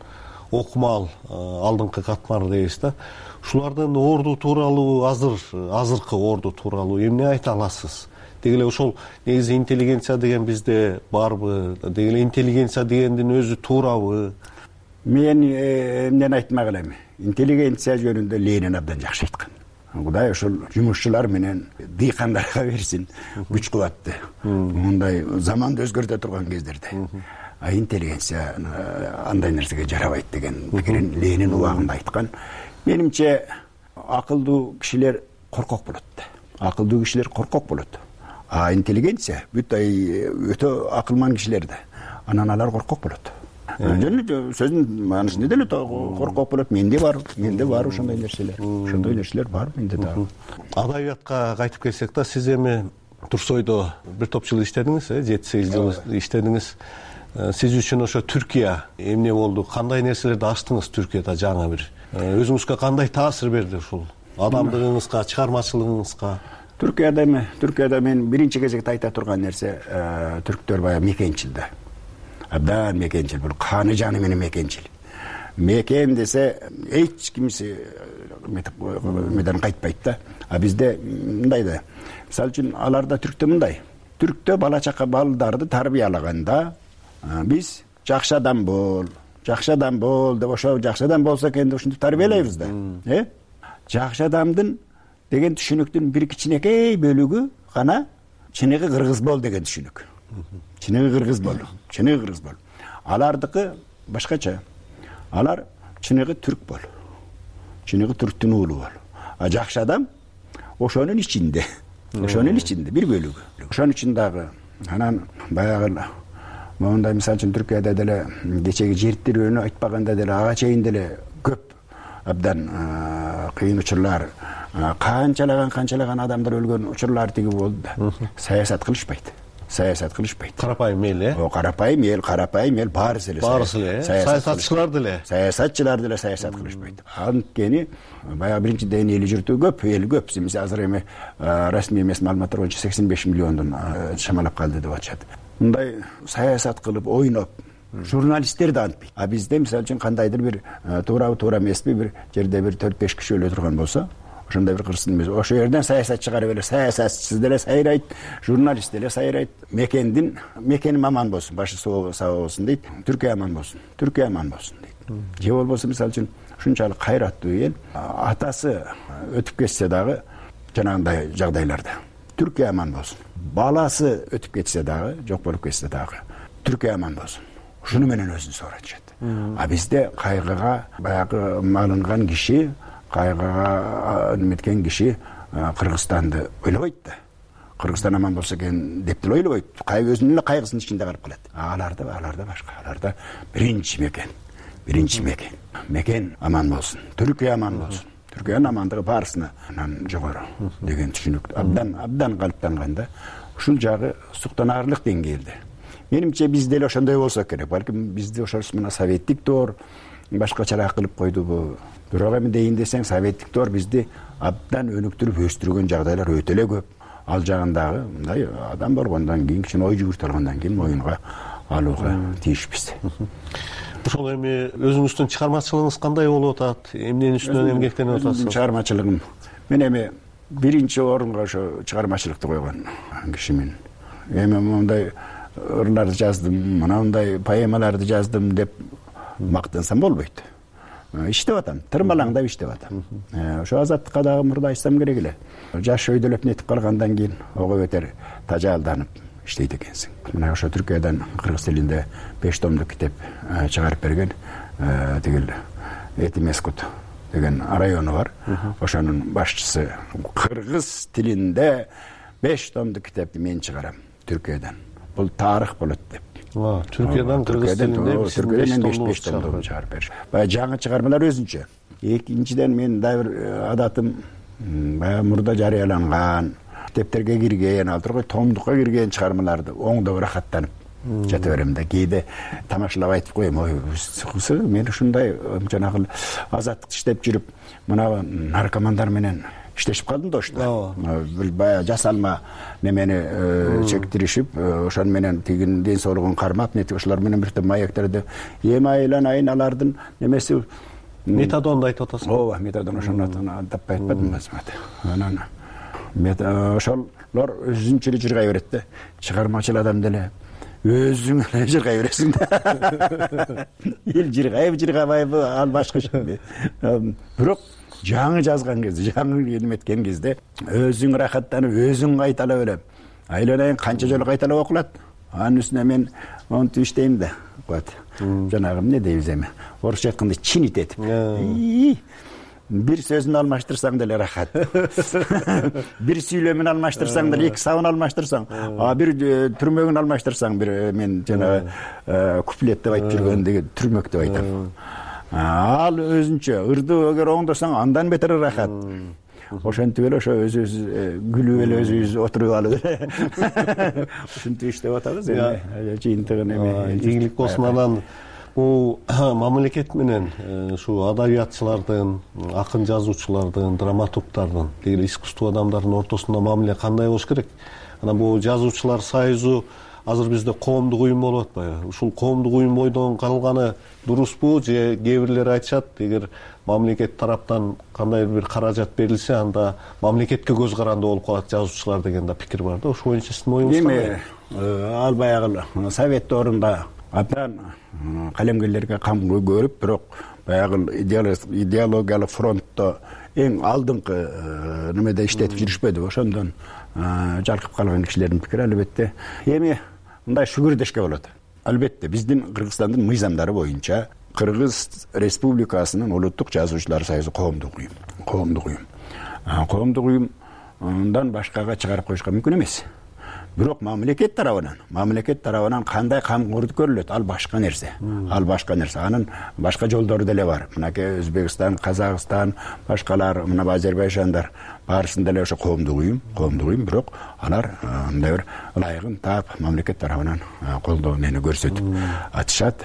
окумал алдыңкы катмары дейбиз да. Ушулардын орду тууралуу азыр азыркы орду тууралуу эмне айта аласыз? Деги эле ошол негизи интеллигенция деген бизде барбы? Деги эле интеллигенция дегендин өзү туурабы? Мен эмнени айтмак элем? Интеллигенция жөнүндө Ленин абдан жакшы айткан. Кудай ошол жумушчулар менен дыйкандарга берсин күч кубатты. Мындай заманды өзгөртө турган кездерде. А интеллигенция андай нерсеге жарабайт деген пикирин Ленин убагында айткан. Менимче акылдуу кишилер коркок болот. Акылдуу кишилер коркок болот. А интеллигенция бүт өтө акылман кишилер да. Анан алар коркок болот. Жөн сөздүн маанысы эмне деле коркок болот? Менде бар, менде бар ошондой нерселер. Ошондой нерселер бар менде да. Адабиятка кайтып келсек да, сиз эми Турсойдо бир топ жыл иштедиңиз, э, жети сегиз жыл иштедиңиз. Сиз үчүн ошо Түркия эмне болду? Кандай нерселерди ачтыңыз Түркияда жаңы бир? Өзүңүзгө кандай таасир берди ушул? Адамдыгыңызга, чыгармачылыгыңызга? Түркияда эми, Түркияда мен биринчи кезекте айта турган нерсе, түрктөр баягы мекенчил да. Абдан мекенчил, бул каны жаны менен мекенчил. Мекен десе эч кимси меден кайтпайт да. А бизде мындай да. Мисалы үчүн аларда түрктө мындай. Түрктө бала чака балдарды тарбиялаганда биз жакшы адам бол, жакшы адам бол деп ошо жакшы адам болсо экен деп ушинтип тарбиялайбыз да. Э? Жакшы адамдын деген түшүнүктүн бир кичинекей бөлүгү гана чыныгы кыргыз бол деген түшүнүк. Чыныгы кыргыз бол, чыныгы кыргыз бол. Алардыкы башкача. Алар чыныгы түрк бол. Чыныгы түрктүн уулу бол. А жакшы адам ошонун ичинде. Ошонун ичинде бир бөлүгү. Ошон үчүн дагы анан баягы мондай мисалы үчүн Түркияда деле кечеги жертирүүнү айтпаганда деле ага чейин деле көп абдан кыйын учурлар, канчалаган канчалаган адамдар өлгөн учурлар тиги болду да. Саясат кылышпайт. саясат кылышпайт. Карапайым эл э карапайым эл карапайым эл баарысы эле баарысы эле саясатчылар деле саясатчылар деле саясат кылышпайт. Анткени баягы биринчиден эли жүртүү көп, эл көп. Эмесе азыр эми расмий эмес маалыматтар боюнча сексен беш миллиондон шамалап калды деп атышат. Мындай саясат кылып ойноп журналисттер да антпайт. А бизде мисалы үчүн кандайдыр бир туурабы туура эмеспи бир жерде бир төрт беш киши өлө турган болсо, ошондой бир кырсын эмес, ошол жерден саясат чыгарып эле саясатчы деле сайрайт, журналист деле сайрайт. Мекендин мекеним аман болсун, башы соо сау болсун дейт. Түркия аман болсун, Түркия аман болсун дейт. Же болбосо мисалы үчүн ушунчалык кайраттуу эл атасы өтүп кетсе дагы жанагындай жагдайларда Түркия аман болсун. Баласы өтүп кетсе дагы, жок болуп кетсе дагы Түркия аман болсун. Ушуну менен өзүн сооротушат. А бизде кайгыга баягы малынган киши, кайгыга неметкен киши Кыргызстанды ойлобойт да. Кыргызстан аман болсо экен деп деле ойлобойт. Кайгы өзүнүн эле кайгысынын ичинде калып калат. Аларда аларда башка. Аларда биринчи мекен, биринчи мекен. Мекен аман болсун, Түркия аман болсун. Түркиянын амандыгы баарысынан жогору деген түшүнүк абдан абдан калыптанган да. Ушул жагы суктанаарлык деңгээлде. Менимче бизде эле ошондой болсо керек. Балким бизде ошол мына советтик доор башкачараак кылып койдубу. Бирок эми дейин десең, советтик доор бизди абдан өнүктүрүп өстүргөн жагдайлар өтө эле көп. Ал жагындагы мындай адам болгондон кийин, кичине ой жүгүртүп алгандан кийин моюнга алууга тийишпиз. Ошол эми өзүңүздүн чыгармачылыгыңыз кандай болуп атат? Эмненин үстүнөн эмгектенип атасыз? Чыгармачылыгым мен эми биринчи орунга ошо чыгармачылыкты койгон кишимин. Эми мындай ырларды жаздым, мындай поэмаларды жаздым деп мактансам болбойт. Иштеп атам, тырмалаңдап иштеп атам. Ошо азаттыкка дагы мурда айтсам керек эле. Жаш өйдөлөп нетип калгандан кийин ого бетер тажаалданып иштейт экенсиң. Мына ошо Түркиядан кыргыз тилинде беш томдук китеп чыгарып берген тигил Этимескут деген району бар. Ошонун башчысы кыргыз тилинде беш томдук китепти мен чыгарам Түркиядан. Бул тарых болот деп. Түркиядан кыргыз тилинде беш томдук чыгарып бериш. Баягы жаңы чыгармалар өзүнчө. Экинчиден мен дагы бир адатым баягы мурда жарыяланган китептерге кирген, ал тургай томдукка кирген чыгармаларды оңдоп рахаттанып жата берем да. Кээде тамашалап айтып коем, ой, мен ушундай жанагы азаттык иштеп жүрүп, мына наркомандар менен иштешип калдым да ошто. Баягы жасалма немени чектиришип, ошон менен тигин ден соолугун кармап, нетип ошолор менен бир топ маектерди эми айланайын, алардын немеси метадонду айтып атасыз. Ооба, метадон ошону таппай атпадым анан ошолор өзүнчө эле жыргай берет да. Чыгармачыл адам деле өзүң эле жыргай бересиң да. Эл жыргайбы жыргабайбы ал башка иш. Бирок жаңы жазган кезде, жаңы эметкен кезде өзүң рахаттанып, өзүң кайталап эле айланайын канча жолу кайталап окулат. Анын үстүнө мен монтип иштейм да. Вот. Жанагы эмне дейбиз эми? Орусча айтканда чинит этип. Бир сөзүн алмаштырсаң деле рахат. Бир сүйлөмүн алмаштырсаң деле, эки сабын алмаштырсаң, а бир түрмөгүн алмаштырсаң, бир мен жанагы куплет деп айтып жүргөндөгү түрмөк деп айтам. Ал өзүнчө ырды эгер оңдосоң андан бетер рахат. Ошентип эле ошо өзүбүз күлүп эле өзүбүз отуруп алып эле ушинтип иштеп атабыз эми. Жыйынтыгын эми ийгилик болсун. Анан бул мамлекет менен ушу адабиятчылардын, акын жазуучулардын, драматургдардын, тиги искусство адамдарынын ортосунда мамиле кандай болуш керек? Анан бул жазуучулар союзу азыр бизде коомдук уюм болуп атпайбы? Ушул коомдук уюм бойдон калганы дурусбу же кээ бирлер айтышат, эгер мамлекет тараптан кандайдыр бир каражат берилсе, анда мамлекетке көз каранды болуп калат жазуучулар деген да пикир бар да. Ошол боюнча сиздин оюңуз кандай? Эми ал баягы совет доорунда абдан калемгерлерге кам көрүп, бирок баягы идеологиялык фронтто эң алдыңкы немеде иштетип жүрүшпөдү. Ошондон жалкып калган кишилердин пикири албетте эми мындай шүгүрдөшкө болот. Албетте биздин Кыргызстандын мыйзамдары боюнча Кыргыз Республикасынын улуттук жазуучулар союзу коомдук уюм. Коомдук уюм. Коомдук уюмдан башкага чыгарып коюшка мүмкүн эмес. бирок мамлекет тарабынан мамлекет тарабынан кандай камкордук көрүлөт, ал башка нерсе. Ал башка нерсе. Анын башка жолдору деле бар. Мынакей Өзбекстан, Казакстан, башкалар, мына Азербайжандар баарысында эле ошо коомдук уюм, коомдук уюм, бирок алар мындай бир ылайыгын таап мамлекет тарабынан колдоо нени көрсөтүп атышат.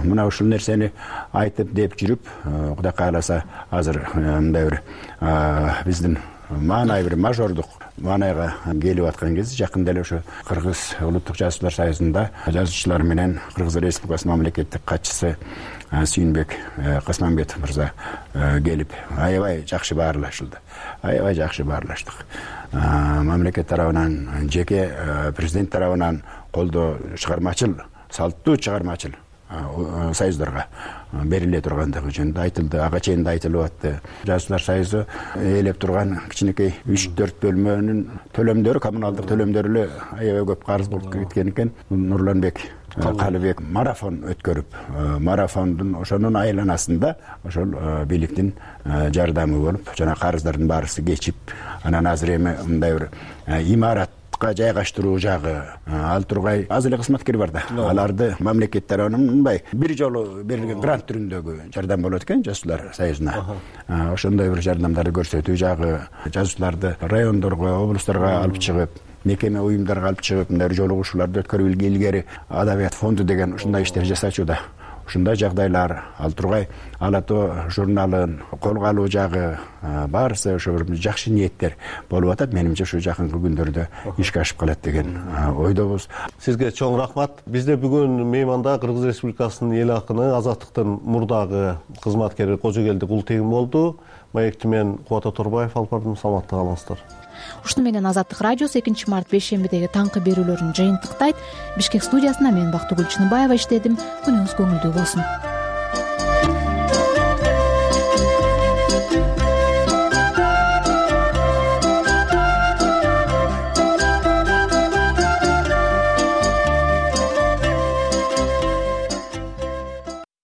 Мына ушул нерсени айтып деп жүрүп, Кудай кааласа азыр мындай бир биздин маанай бир мажордук маанайга келип аткан кезде жакында эле ошо Кыргыз улуттук жазуучулар союзунда жазуучулар менен Кыргыз Республикасынын мамлекеттик катчысы Сүйүнбек Касманбетов мырза келип аябай жакшы баарлашылды. Аябай жакшы баарлаштык. Мамлекет тарабынан, жеке президент тарабынан колдоо чыгармачыл, салттуу чыгармачыл союздарга бериле тургандыгы жөнүндө айтылды. Ага чейин да айтылып атты. Жазуучулар союзу ээлеп турган кичинекей үч төрт бөлмөнүн төлөмдөрү, коммуналдык төлөмдөрү эле аябай көп карыз болуп кеткен экен. Нурланбек Калыбек марафон өткөрүп, марафондун ошонун айланасында ошол бийликтин жардамы болуп, жана карыздардын баарысы кечип, анан азыр эми мындай бир имаратка жайгаштыруу жагы ал тургай аз эле кызматкер бар да. Аларды мамлекет тарабынан мындай бир жолу берилген грант түрүндөгү жардам болот экен жазуучулар союзуна. Ошондой бир жардамдарды көрсөтүү жагы, жазуучуларды райондорго, облустарга алып чыгып, мекеме уюмдарга алып чыгып, мындай жолугушууларды өткөрүп илгери адабият фонду деген ушундай иштер жасачууда. Ушундай жагдайлар, ал тургай Ала тоо журналын колго алуу жагы баарысы ошо бир жакшы ниеттер болуп атат. Менимче ушу жакынкы күндөрдө ишке ашып калат деген ойдобуз. Сизге чоң рахмат. Бизде бүгүн мейманда Кыргыз Республикасынын эл акыны, Азаттыктын мурдагы кызматкери Кожогелди Култегин болду. Маекти мен Кубат Оторбаев алып бардым. Саламатта калыңыздар. Ушуну менен Азаттык радиосу экинчи март бейшембидеги таңкы берүүлөрүн жыйынтыктайт. Бишкек студиясында мен Бактыгүл Чыныбаева иштедим. Күнүңүз көңүлдүү болсун.